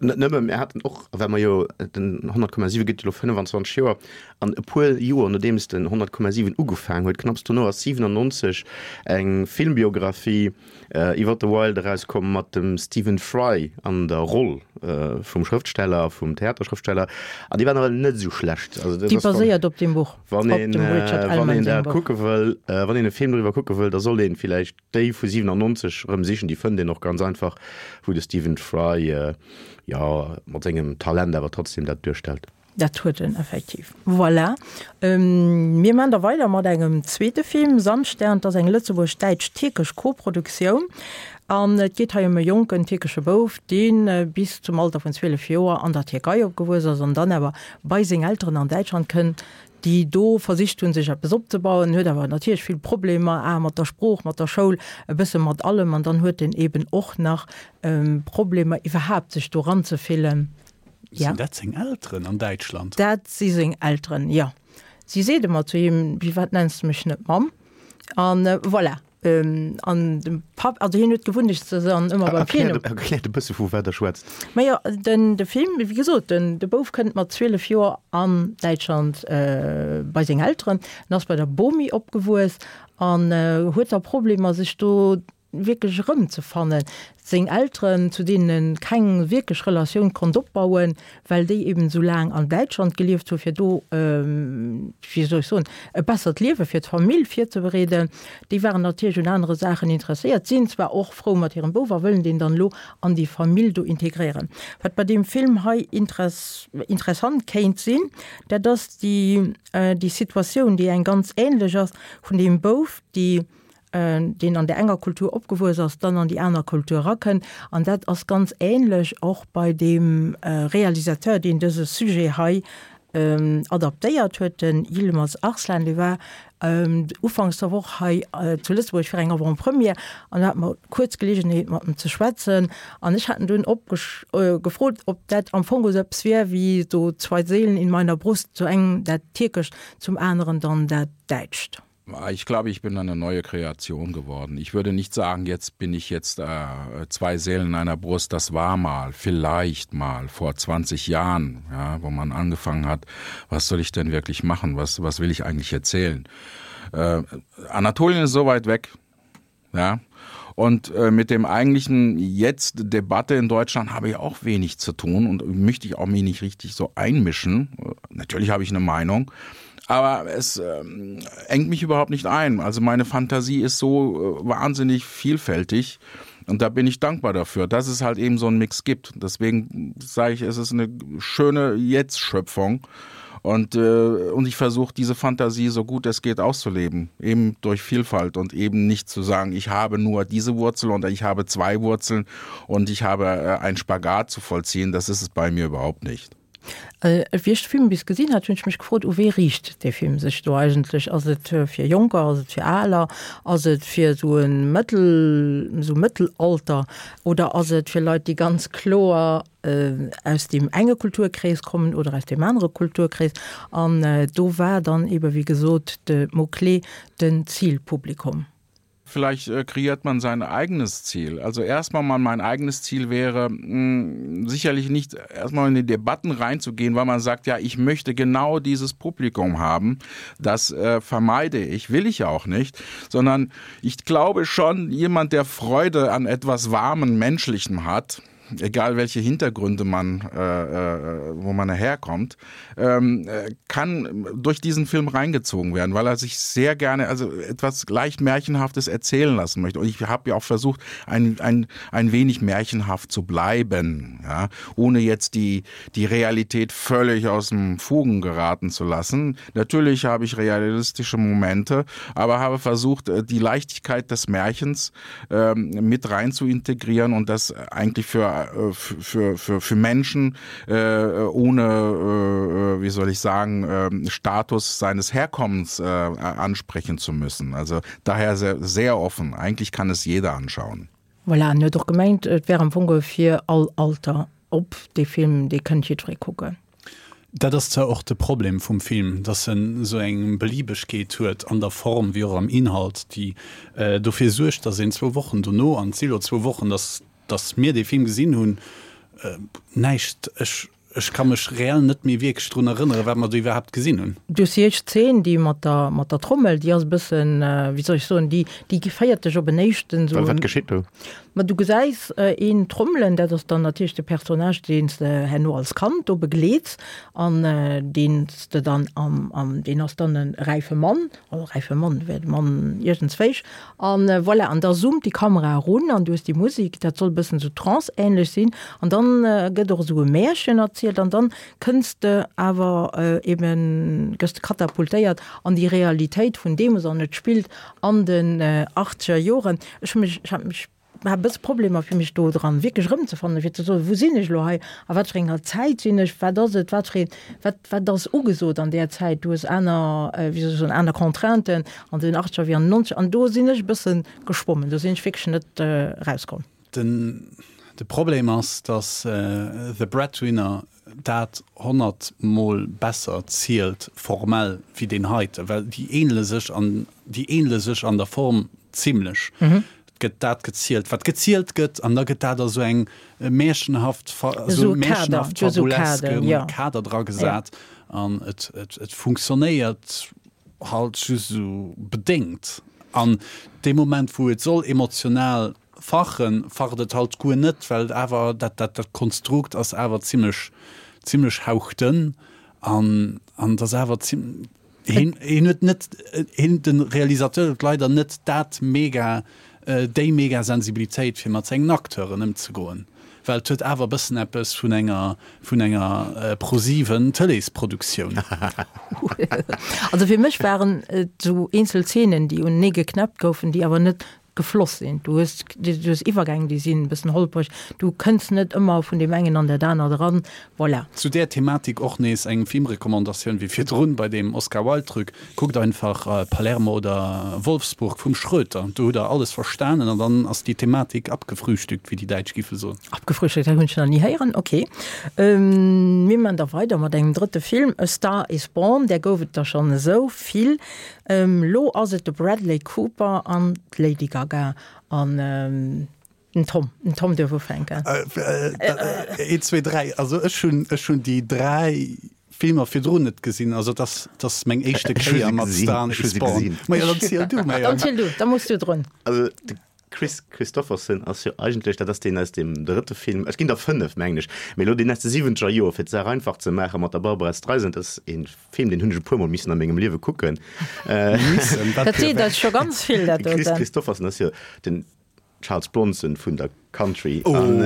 Net nëmme, mir haten och, well mer jo, den honnert Komma siwe gëtt jo elo fënnfanzwanzeg Joer, an e puer Joer nodeems den honnert Komma siwen ugefaangen huet, knapps dono ass siwenannonzeg eng Filmbiographie iwwer de Wilde erauskomm mat dem Stephen Fry an der Roll vum Schrëftsteller, vum Theaterschrëftsteller, an déi war nawell net esou schlecht. Also dat Déi ass, wann, baséiert op deem Buch, wann op een, dem Richard wann Ellmann een sengem dat Buch. kucke wëll, wann een e Film doriwwer kucke wëll, da sollt een villäicht déi vu siwenannonzeg erëm sichen, déi fënnt een och ganz einfach, wou de Stephen Fry, jo, mat sengem Talent awer trotzdem dat duerstellt. Dat huet en effektiv. Voilà. Mir man da weider mat engem zweete Film, Sandstern. Dat ass eng lëtzebuerg-däitsch-tierkesch Koproduktioun. An et geet hei ëm e jonken tierkesche Bouf, dee bis zum Alter vun zwielef Joer an der Tierkei opgewuess ass an dann awer bei seng Elteren an Däitschland kënnt, déi do versicht hunn, sech eppes opzebauen, huet awer natierlech vill Problemer, a mat der Sprooch, mat der Schoul, e bësse mat allem. An dann huet en eben och nach Problemer iwwerhaapt sech do eranzefillen. Sinn dat seng Elteren an Däitschland? Dat si seng Elteren, jo. Si seet ëmmer zu him, Firwat nenns de mech net Mamm? An voilà. An de Papp, also hien huet d'Gewunnecht se dann ëmmer beim Virnumm. Erkläert e bësse vu wat der schwätzt. Majo, den de Film, wéi gesot, den de Bouf kënnt mat zwielef Joer an Däitschland bei seng Elteren. En ass bei der Bomi opgewuess an huet da Problemer sech do wierklech erëmzefannen. Seng Elteren, zu deenen en keng wierklech Relatioun konnt opbauen, well déi eben esou laang an Däitschland gelieft hu fir do, wéi soll ech soen, e bessert Liewe fir d'Famill virzebereeden, déi waren natierlech un anere Saachen interesséiert, sinn zwar och frou mat hirem Bouf a wëllen deen dann elo an déi Famill do integréieren. Wat bei deem Film hei interessant kéint sinn, dat ass déi, déi Situatioun, déi eng ganz ähnlech ass vun deem Bouf, déi deen an där enger Kultur opgewuess ass, dann an déi aner Kultur erakënnt. An dat ass ganz ähnlech och bei deem Realisateur, deen dëse Sujet hei adaptéiert huet, den Yilmaz Arslan. Dee war ufanks der Woch hei zu Lëtzebuerg fir eng Avant-première an do hate mer kuerz Geleegenheet, mat em ze schwätzen. An ech hat en dunn gefrot, ob dat am Fong esou eppes wier wéi so zwei Seelen in meiner Brust, zu engem dat Tierkescht, zum aneren dann dat Däitscht. Ich glaube, ich bin eine neue Kreation geworden. Ich würde nicht sagen, jetzt bin ich jetzt äh, zwei Seelen in einer Brust, das war mal, vielleicht mal vor zwanzig Jahren, ja, wo man angefangen hat, was soll ich denn wirklich machen? Was, was will ich eigentlich erzählen? Äh, Anatolien ist so weit weg. Ja? Und äh, mit dem eigentlichen jetzt Debatte in Deutschland habe ich auch wenig zu tun und möchte ich auch mich nicht richtig so einmischen. Natürlich habe ich eine Meinung, aber es ähm, engt mich überhaupt nicht ein. Also meine Fantasie ist so äh, wahnsinnig vielfältig und da bin ich dankbar dafür, dass es halt eben so einen Mix gibt. Deswegen sage ich, es ist eine schöne Jetztschöpfung und, äh, und ich versuche diese Fantasie so gut es geht auszuleben, eben durch Vielfalt und eben nicht zu sagen, ich habe nur diese Wurzel und ich habe zwei Wurzeln und ich habe äh, einen Spagat zu vollziehen, das ist es bei mir überhaupt nicht. Wéi ech de Film bis gesinn hat, hunn ech mech gefrot, u wee riicht dee Film sech do eigentlech? Ass et fir Jonker, ass et fir Aler, ass et fir esou e Mëttel, esou Mëttelalter oder ass et fir Leit, déi ganz kloer aus deem enge Kulturkrees kommen oder aus deem anere Kulturkrees? An do war dann ebe wéi gesot de Mot-clé den Zilpublikum. Vielleicht äh, kreiert man sein eigenes Ziel. Also erstmal mal mein eigenes Ziel wäre mh, hm, sicherlich nicht erstmal in die Debatten reinzugehen, weil man sagt, ja, ich möchte genau dieses Publikum haben. Das äh, vermeide ich, will ich auch nicht, sondern ich glaube schon, jemand, der Freude an etwas warmen Menschlichen hat, egal welche Hintergründe man äh, äh, wo man herkommt, ähm, äh, kann durch diesen Film reingezogen werden, weil er sich sehr gerne also etwas leicht Märchenhaftes erzählen lassen möchte. Und ich habe ja auch versucht, ein, ein, ein wenig märchenhaft zu bleiben, ja, ohne jetzt die, die Realität völlig aus dem Fugen geraten zu lassen. Natürlich habe ich realistische Momente, aber habe versucht, äh, die Leichtigkeit des Märchens ähm, mit rein zu integrieren und das eigentlich für äh, für, für, für Menschen äh, ohne äh, wie soll ich sagen äh, Status seines Herkommens äh, ansprechen zu müssen. Also daher sehr, sehr offen. Eigentlich kann es jeder anschauen. Voilà, en huet och gemengt, et wär am Fong fir all Alter op, dee Film, dee kënnt jiddweree kucken. Dat ass zwar och de Problem vum Film, dass en esou eng Beliebegkeet huet an der Form wéi och am Inhalt, déi dofir suergt, dass een zwou Wochen dono, an et si lo zwou Wochen, dass dass mir dee Film gesinn hunn, näischt, ech ech ka mech reell net méi wierklech drun erënneren, wat mer do iwwerhaapt gesinn hunn. Du hues déi éischt Zeen, déi mat der mat der Trommel, déi ass e bëssen, wéi soll ech soen, déi déi féiert dech op en éischten esou. Wat geschitt do? Ma du gesäis een trommelen, dat ass dann natierlech de Personnage, deen s de herno als Kand do begleets an deen s de dann am am deen ass dann e räife Mann, also räife Mann, wär de Mann iergendswéich an voilà. An da zoomt déi Kamera erun an du hues déi Musek, dat soll e bëssen esou Trance-ähnlech sinn an dann gëtt och esou e Märchen erzielt an dann kënns de awer eben, gëss de katapultéiert an déi Realitéit vun deemools an et spillt an den achtzeger Joren. Ech hu mech, ech hat mech, hat e bësse Problemer fir mech do dran wierklech erëmzefannen, fir ze soen, wou sinn ech elo hei, a wat fir enger Zäit sinn ech, wat ass et, wat fir een, wat, wat ass ugesot an där Zäit, du hues aner, wéi soll ech soen, aner Contrainten an den achtzeger wéi an den nonzeger, an do sinn ech e bësse geschwommen, do sinn ech wierklech net erauskomm. Den, de Problem ass, datt The Breadwinner dat honnert Mol besser zielt formell wéi deen heite, well déi ähnele sech an, déi ähnele sech an der Form zimlech. Et gëtt dat gezielt, wat gezielt gëtt, an da gëtt dat a sou eng märchenhaft, esou märchenhaft fabuleske Kader dra gesat an et, et, et funktionéiert halt just esou bedéngt. An dee Moment, wou et soll emotional fachen, facht et halt guer net, well et awer dat, dat, dat Konstrukt ass awer zimlech, zimlech hauchdënn an, an et ass awer zim, hien, hien huet net, hien, de Realisateur huet leider net dat mega, déi mega Sensibilitéit fir mat sengen Acteuren ëmzegoen, well et huet awer e bëssen eppes vun enger, vun enger ProSieben Tëleesproduktioun. Also fir mech waren et esou eenzel Zeenen, déi unenee geknäppt goufen, déi awer net gefloss sinn. Du hues, du hues Iwwergäng, déi sinn e bëssen holpreg. Du kënns net ëmmer vun deem engen an dat anert eran. Voilà. Zu där Thematik och nees eng Filmrecommandatioun wéi virdrun bei deem Oscar Wilde Truc, kuckt einfach Palermo oder Wolfsburg vum Schröter, do hutt der alles verstanen an dann ass déi Thematik abgefrühstückt, wéi déi Däitsch giffe soen. Abgefrühstückt, dat hunn ech nach ni héieren, ok. Mir man da weider mat engem drëtte Film, A Star is Born, där gouf et der schonn esou vill. Lo ass et de Bradley Cooper an d'Lady Gaga an den Tom. Den Tom duerf ufänken. Een, zwee, dräi. Also ech hunn, ech hunn déi dräi Filmer virdrun net gesinn. Also et ass, et ass meng éischte Kéier mat Star is Born. Majo, dann ziel du, Majo. Dann ziel du, da muss du drun. Also de Kris Kristofferson ass jo eigentlech, dat ass deen aus deem drëtte Film, et ginn der fënnef, mengen ech, mee elo deen aus de siwwenzeger Joer, fir d'Saach einfach ze maachen, mat der Barbra Streisand, dat ass ee Film, deen hunn ech e puermol missen a mengem Liewe kucken. Missen? Dat seet eis scho ganz vill, dat De Kris doten. Kristofferson ass jo den Charles Bronson vun der Country an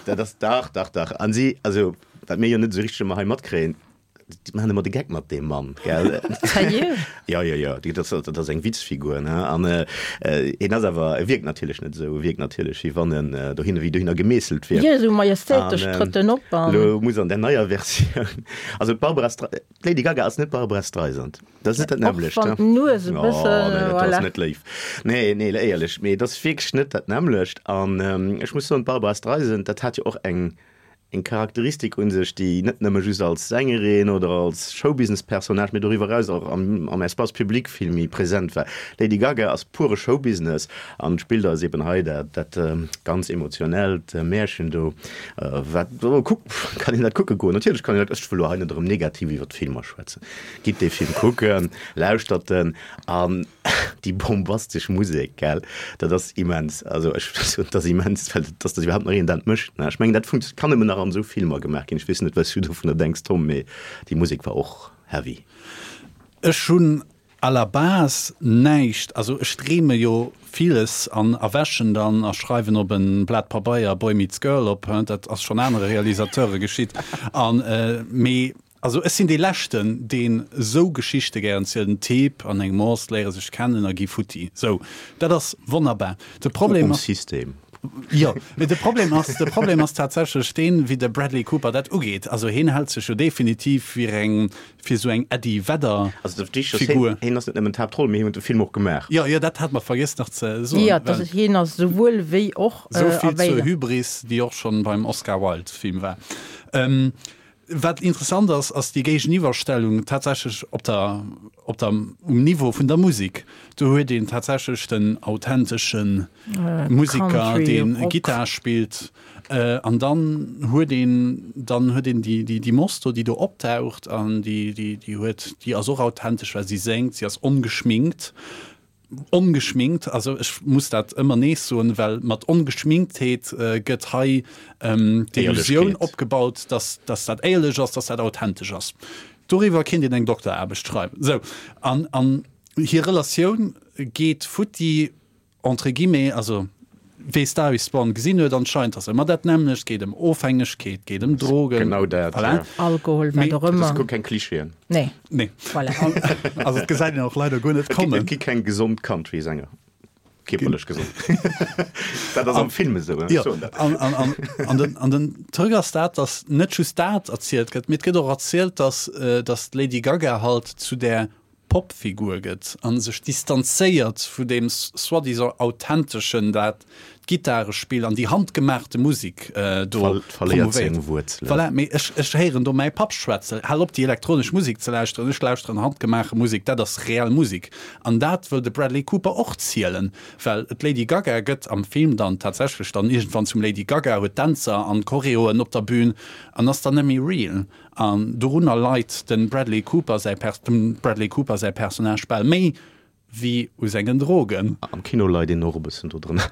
dat ass, dach, dach, dach, an si, also wat mir jo net esou richteg ëmmer hei matkréien, Déi maachen ëmmer de Geck mat deem Mann, gell? Sérieux? Jo, jo, jo, dat ass, dat ass eng Witzfigur, ne? An hien ass awer, e wierkt natierlech net esou, e wierkt natierlech, wéi wann en dohinner, wéi dohinner gemeesselt wier. Jo, esou majestätesch trëtt en op an. Elo muss an der neier Versioun, also d'Barbara Stre-, d'Lady Gaga ass net d'Barbara Streisand, dat ass net dat nämmlecht, Och wann d'Nues e bësse, Oh, nee, dat voilà. ass net léif. Nee, nee, éierlech, mee et ass wierklech net dat nämmlecht. An ech muss soen, d'Barbara Streisand, dat hat jo och eng, eng Charakteristik un sech, déi net nëmme just als Sängerin oder als Showbusiness-Personnage, mee doriwwer eraus och am am Espace public vill méi present war. D'Lady Gaga ass pure Showbusiness an spillt eis eben hei dat dat ganz emotionellt Märchen do, wat kuck kann een dat kucke goen. Natierlech kann een dat, ech wëll elo hei net erëm negativ iwwer d'Filmer schwätzen, gitt dee Film kucken, lauschtert en an Déi bombastesch Musek, gell, dat ass immens. Also ech soen, dat ass immens, well dass dat iwwerhaapt nach een dat mécht, ne. Ech mengen, dat funkt kann nëmmen nach an esou Filmer gemaach ginn. Ech weess net, wat s du dovunner denks, Tom, mee déi Musek war och heavy. Ech hunn à la base näischt, also ech dreeme jo villes an erwächen dann a schreiwen op e Blat Pabeier Boy meets Girl op, dat ass schonn anere Realisateure geschitt, an mee Also ech sinn dee leschten deen esou Geschichte gären zielt, en Typ an eng Moss léiere sech kennen a gi futti. Sou, dat ass wonnerbar. De Problem Um ass. System. Jo, mee de Problem ass, de Problem ass tatsächlech deen, wéi de Bradley Cooper dat ugeet. Also hien hält sech jo definitiv fir eng, fir esou eng Eddie Vedder Also de Wichtegst ass, Figur. hien, hien ass net nëmmen d'Haaptroll, mee hien huet de Film och gemaach. Jo, jo, dat hat mer vergiess nach ze soen. Jo, dat ass, hien ass souwuel wéi och Esou a vill zur béidem. Hybris, déi och schonn beim Oscar Wilde Film war. Wat interessant ass, ass déi Géigeniwwerstellung tatsächlech op der, op der, um Niveau vun der Musek. Do huet een tatsächlech den authentesche Museker, Country, dee Rock. Gittar spillt, an dann huet een, dann huet een déi, déi, déi Moss do, déi do optaucht an déi, déi, déi huet, déi ass och authentesch, well si séngt, si ass ongeschminkt. Ongeschminkt, also ech muss dat ëmmer nees soen, well mat Ongeschminktheet gëtt hei d'Illusioun opgebaut, dass dass dat éierlech ass, dass dat authentesch ass. Doriwwer kéint een eng Dokteraarbecht schreiwen. Sou, an an hir Relatioun geet futti, entre guillemets, also wee Star is Born gesinn huet, anscheinend ass ëmmer dat nämmlecht, geet ëm Ofhängegkeet, geet ëm Drogen, Genau dat, voilà. ja. Alkohol, wat Mee och Dat ass ëmmer. guer keng Klischeeën. Nee. Nee. Voilà. Also et gesäit een och leider guer net Et gi, kommen. et gi keng gesond Country-Sänger. Kierperlech gesond. Dat ass am Film esou, ech Jo, soen dat. an, an, an, an, den, an den Truc ass dat, dass net just dat erzielt gëtt, mee et gëtt och erzielt, dass, dass d'Lady Gaga halt zu där Popfigur gëtt a sech distanzéiert vu deem soi-disant Authenteschen, dat d'Gittarespill an déi handgemaachte Musek do Verléiert seng promovéiert. Wuerzelen. Voilà, mee ech, ech héieren do mäi Papp schwätzen, Hal op déi elektronesch Musek ze lauschteren, ech lauschteren handgemaache Musek, dat ass reell Musek. An dat wëll de Bradley Cooper och zielen, well d'Lady Gaga gëtt am Film dann tatsächlech dann iergendwann zum Lady Gaga, huet Dänzer an Choreoen op der Bühn an ass dann net méi real. An dorunner leit dem Bradley Cooper säi dem Bradley Cooper säi Personnage bal méi wéi u sengen Drogen. Am Kino leit een och e bëssen do drënner.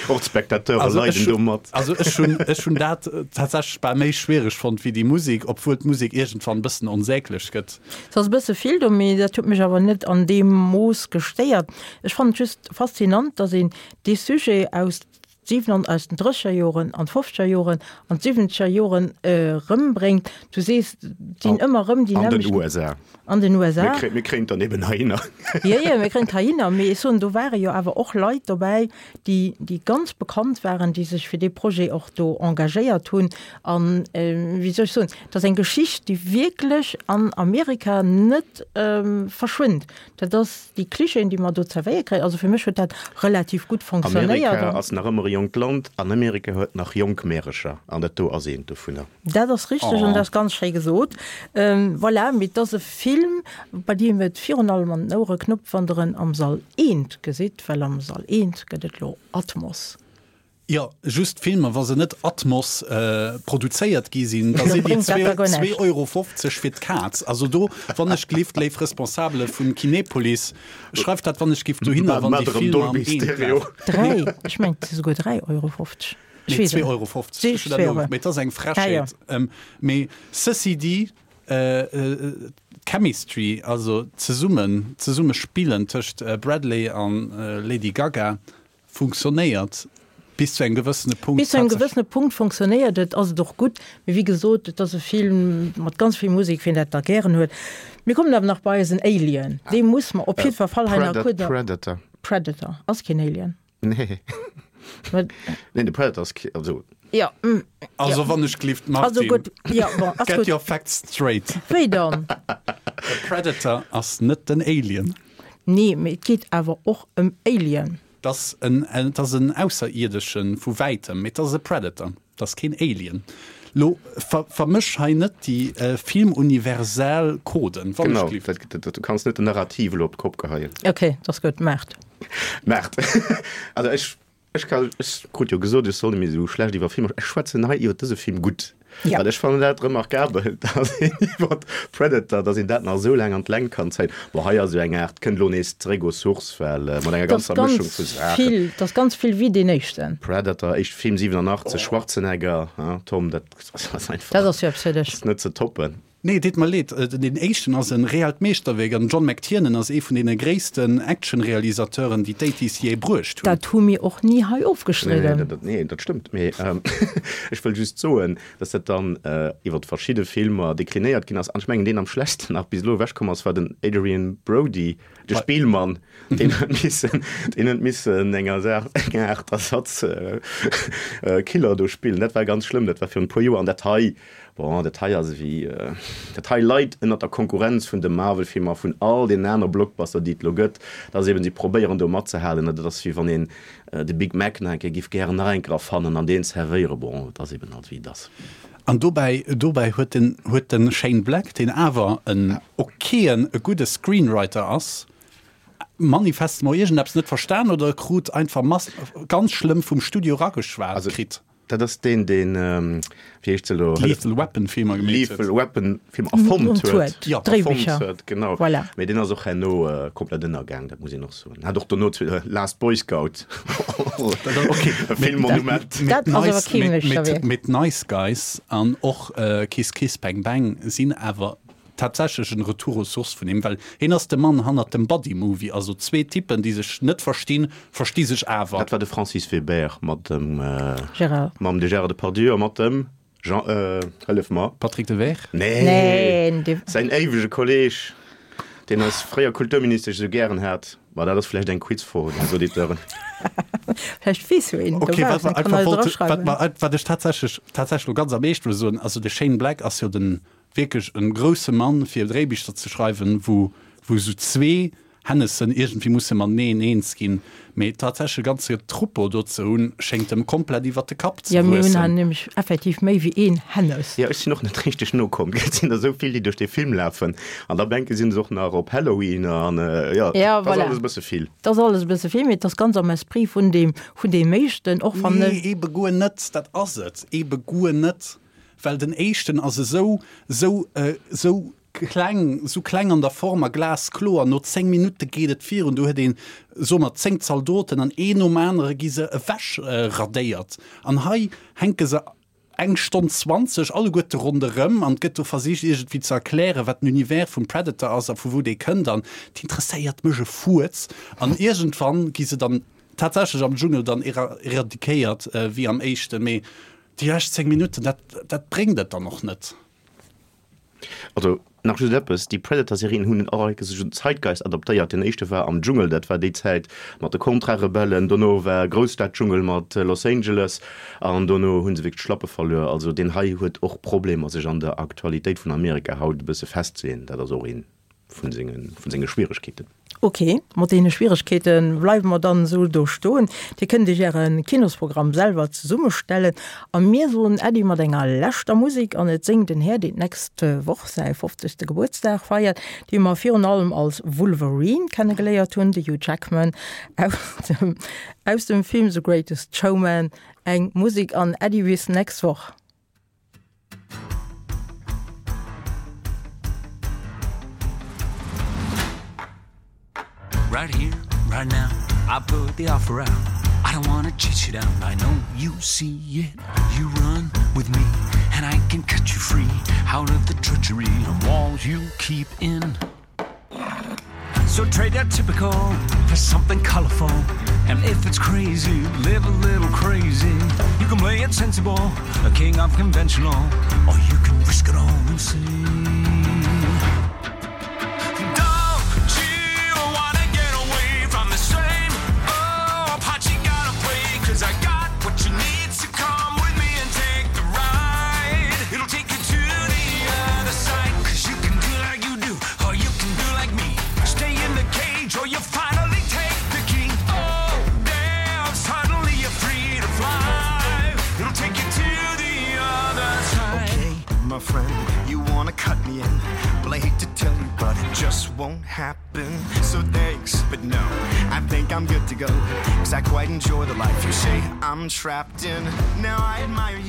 Och d'Spectateure Also ech leiden do mat. Also ech hunn ech hunn dat tatsächlech bal méi schwiereg fonnt wéi déi Musek, obwuel d'Musek iergendwann e bëssen onsäglech gëtt. Et ass e bësse vill do, mee dat huet mech awer net an deem Mooss gestéiert. Ech fannen et just faszinant, datt een dee Sujet aus siwen aus den drësseger Joren an d'fofzeger Joren an d'siwwenzeger Joren erëmbréngt. Du sees, et sinn ëmmer erëm déi An den nämmlecht. U S A. An den U S A. Mir kréien, mir kréien et dann eben heihinner. Jo, jo, mir kréien et heihinner. Mee ech soen, do ware jo awer och Leit dobäi, déi, déi ganz bekannt waren, déi sech fir dee Projet och do engagéiert hunn. An, wéi soll ech soen, et ass eng Geschicht, déi wierklech an Amerika net verschwënnt. Dat ass déi Klischeeën, déi mer do zerwéiert kréien. Also fir mech huet dat relativ gutt fonctionnéiert. Amerika ass nach ëmmer e jonkt Land an Amerika huet nach jonk Märecher an dat do ass eent dovunner. Dat ass richteg an dat ass ganz schéi gesot. Voilà, mee et ass e Film, bei deem et virun allem an den Ouere knuppt, wann Der en am Sall eent gesitt, well am Sall eent gëtt et elo Atmos. Jo, just Filmer, wa se net Atmos produzéiert gi sinn, da sinn déi zwee Euro fofzeg fir d'Kaz. Also do, wann ech glift, léif Responsabele vun Kinepolis, schreift dat wann ech giff dohinner, wann déi Filmer am Eent lafen. Dräi, ech mengen et si souguer dräi Euro fofzeg. Ech Nee, weess et zwee net. Euro fofzeg, ech hunn dat Zwee Euro. no, mee et ass eng Ah jo. Frechheet. Mee ceci dit, d'Chemistry, also zesummen, zesumme spillen tëscht Bradley an Lady Gaga, Funktionéiert bis zu engem gewëssene Punkt. Bis zu engem gewëssene Punkt funktionéiert et, ass et och gutt. Mee wéi gesot, et ass e Film mat ganz vill Musek, wien dat da gären huet. Mir kommen awer nach bei eisen Alien. Dee muss mer op jiddwer Fall hei nach kuerz. Predator. Predator ass keen Alien. Nee. Nee, de Predator ass kee, also. Jo. Also wann ech gelift, Also Martine, gutt, jo, bon, ass get gutt. your facts straight. Wéi dann? De Predator ass net den Alien. Nee, mee et geet awer och ëm Alien. Et ass en, et ass en Ausserierdeschen vu wäitem, mee et ass e Predator, et ass keen Alien. Lo ver, vermësch hei net déi filmuniversal Coden, wann ech Genau, gelift. dat, dat, du kanns net den Narrativ elo op d'Kopp geheien. Ok, dat ass gutt, maacht. Maacht. Also ech, ech ka, ech krut jo gesot, ech soll net méi esou schlecht iwwer Filmer, ech schwätzen hei iwwer dëse Film gutt. Ja. Well ech fannen dat remarkabel, dass een iwwer Predator, dass een dat nach esou laang an d'Längt kann zéien. Bon, hei ass jo eng Aart, kënnt elo nees zeréck aux sources, well mat enger Dat ass ganzer Mëschung ganz vu Saachen. vill, dat ass ganz vill wéi deen éischten. Predator, éischt Film siwenanachtzeg, Schwarzenegger, hein, Tom, dat ass einfach. Dat ass jo eppes fir dech. Ass net ze toppen. Nee, deet mer leed, deen éischten ass en reellt Meeschterwierk an den John McTiernan ass ee vun deene gréissten Action-Realisateuren, déi d'Eighties jee bruecht hunn. Dat hu mir och ni hei ofgestridden. Nee, dat stëmmt, mee ech wëll just soen, dass dat dann iwwer verschidde Filmer deklinéiert ginn ass. An ech mengen, deen am schlechtsten nach bis elo ewechkomm ass, war den Adrien Brody, de Spillmann, deen huet missen, deen huet missen enger Saach, enger Aart Ersatz-Killer do spillen. Dat war ganz schlëmm, dat war virun e puer Joer. An dat hei, bon, dat hei ass ewéi, dat hei leit ënnert der Konkurrenz vun de Marvel-Filmer, vun all deenen aner Blockbuster, déi et elo gëtt. Dat ass eben, si probéieren do matzehalen. Dat ass wéi wann een de Big Mac nach eng Kéier giff gären nach eng Kéier erfannen an deen zerwéieren. Bon, et ass eben halt wéi et ass. An dobäi, dobäi huet den, huet de Shane Black, deen awer en okayen, e gudde Screenwriter ass, manifestement iergendeppes net verstan oder e krut einfach mass, ganz schlëmm vum Studio erageschwat kritt. Dat ass deen, deen, wéi heescht se elo? D'Lethal Weapon Filmer gemeet huet. Lethal Weapon Filmer erfonnt huet. Jo, erfonnt huet, genau. Voilà. Mee deen ass och herno komplett ënnergaang, dat muss een och soen. Hat och dono Last Boy Scout, e Filmmonument. Dat ass awer kee Meeschterwierk. Mee d'Nice Guys an och Kiss Kiss Bang Bang sinn awer tatsächlech en Retour aux sources vun him, well hien ass de Mann hannert dem Buddy Movie, also zwee Typen, déi sech net verstinn, versti sech awer. Dat war de Francis Veber mat dem Gérard. Mam de Gérard Depardieu a mat dem Jean, hëllef mer. Patrick Dewaere? Nee, Nee, de. Säin éiwege Kolleg, deen eis fréier Kulturministesch esou gären hat. Ma dat ass vläicht eng Quizfro un eis Auditeuren. Vläicht weess jo een Okay, wat dobaussen, mer kann einfach eis wollt, wat eraschreiwen. mer, wat ech tatsächlech, tatsächlech elo ganz am Eescht wëll soen, also de Shane Black ass jo den, wierklech en grousse Mann fir Dréibicher ze schreiwen, wou wou esou zwee Hennessen iergendwéi musse mateneen eens ginn, mee tatsächlech e ganze Troupeau do ze hunn, schéngt em komplett iwwert de Kapp ze Jo, mir hunn wuessen. hei nämlech effektiv méi wéi een Hennes. Jo, ech sinn och net richteg nokomm, gell, et sinn der esou vill, déi duerch dee Film lafen an da denke si se och nach op Halloween an jo, Ja, et ass voilà. alles e bësse vill. Et ass alles e bësse vill, mee et ass ganz am Esprit vun deem, vun deem éischten, och wann Nee, ebe guer net, dat ass et ebe guer net. Well den éischten ass esou, esou, esou kleng, esou kleng an der Form a glaskloer. No zéng Minutte geet et virun, do huet een, soe mer, zéng Zaldoten an een nom anere gi se ewech radéiert. An hei hänke se eng Stonn zwanzeg alleguerte ronderëm an et gëtt do versicht iergendwéi ze erklären, wat den Univers vum Predator ass a vu wou dee kënnt an et interesséiert mech e Fuerz. An iergendwann gi se dann tatsächlech am Dschungel dann eradikéiert, wéi am éischten, mee Déi lescht zéng Minutten, dat, dat bréngt et dann och net. Also nach just eppes, déi Predator-Serien hunn och enke sech un Zeitgeist adaptéiert. Den éischte war am Dschungel, dat war déi Zäit mat de Contra-Rebellen, dono war Grousstad-Dschungel mat Los Angeles an dono hu se wierklech d'Schlappe verluer. Also deen hei huet och Problemer sech an der Aktualitéit vun Amerika haut e bësse festzeleeën. Dat ass och ee vun senge, vun senge Schwieregkeeten. Ok, mat deene Schwieregkeete bleiwe mer dann esou do stoen. Dir kënnt Iech Äre Kinosprogramm selwer zesummestellen. A mir soen Äddi mat enger leschter Musek an et séngt en Här, deen d'nächst Woch säi fofzegste Gebuertsdag feiert, dee mer virun allem als Wolverine kennegeléiert hunn, de Hugh Jackman aus dem, aus dem Film The Greatest Showman. Eng Musek an Äddi bis nächst Woch. Right here, right now, I put the offer out. I don't wanna chase you down, I know you see it. You run with me, and I can cut you free out of the treachery and walls you keep in. So trade that typical for something colorful. And if it's crazy, live a little crazy. You can play it sensible, a king of conventional, or you can risk it all and see. Don't you wanna get away from the same old part you gotta play? 'Cause I got what you need, so come with me and take the ride. It'll take you to the other side. 'Cause you can do like you do, or you can do like me. Stay in the cage or you finally take the key. Oh, damn, suddenly you're free to fly. It'll take you to the other side. Okay, my friend, you wanna cut me in. Well, I hate to tell you, but it just won't happen. So thanks, but no, I think I'm good to go. 'Cause I quite enjoy the life you say I'm trapped in. Now I admire you.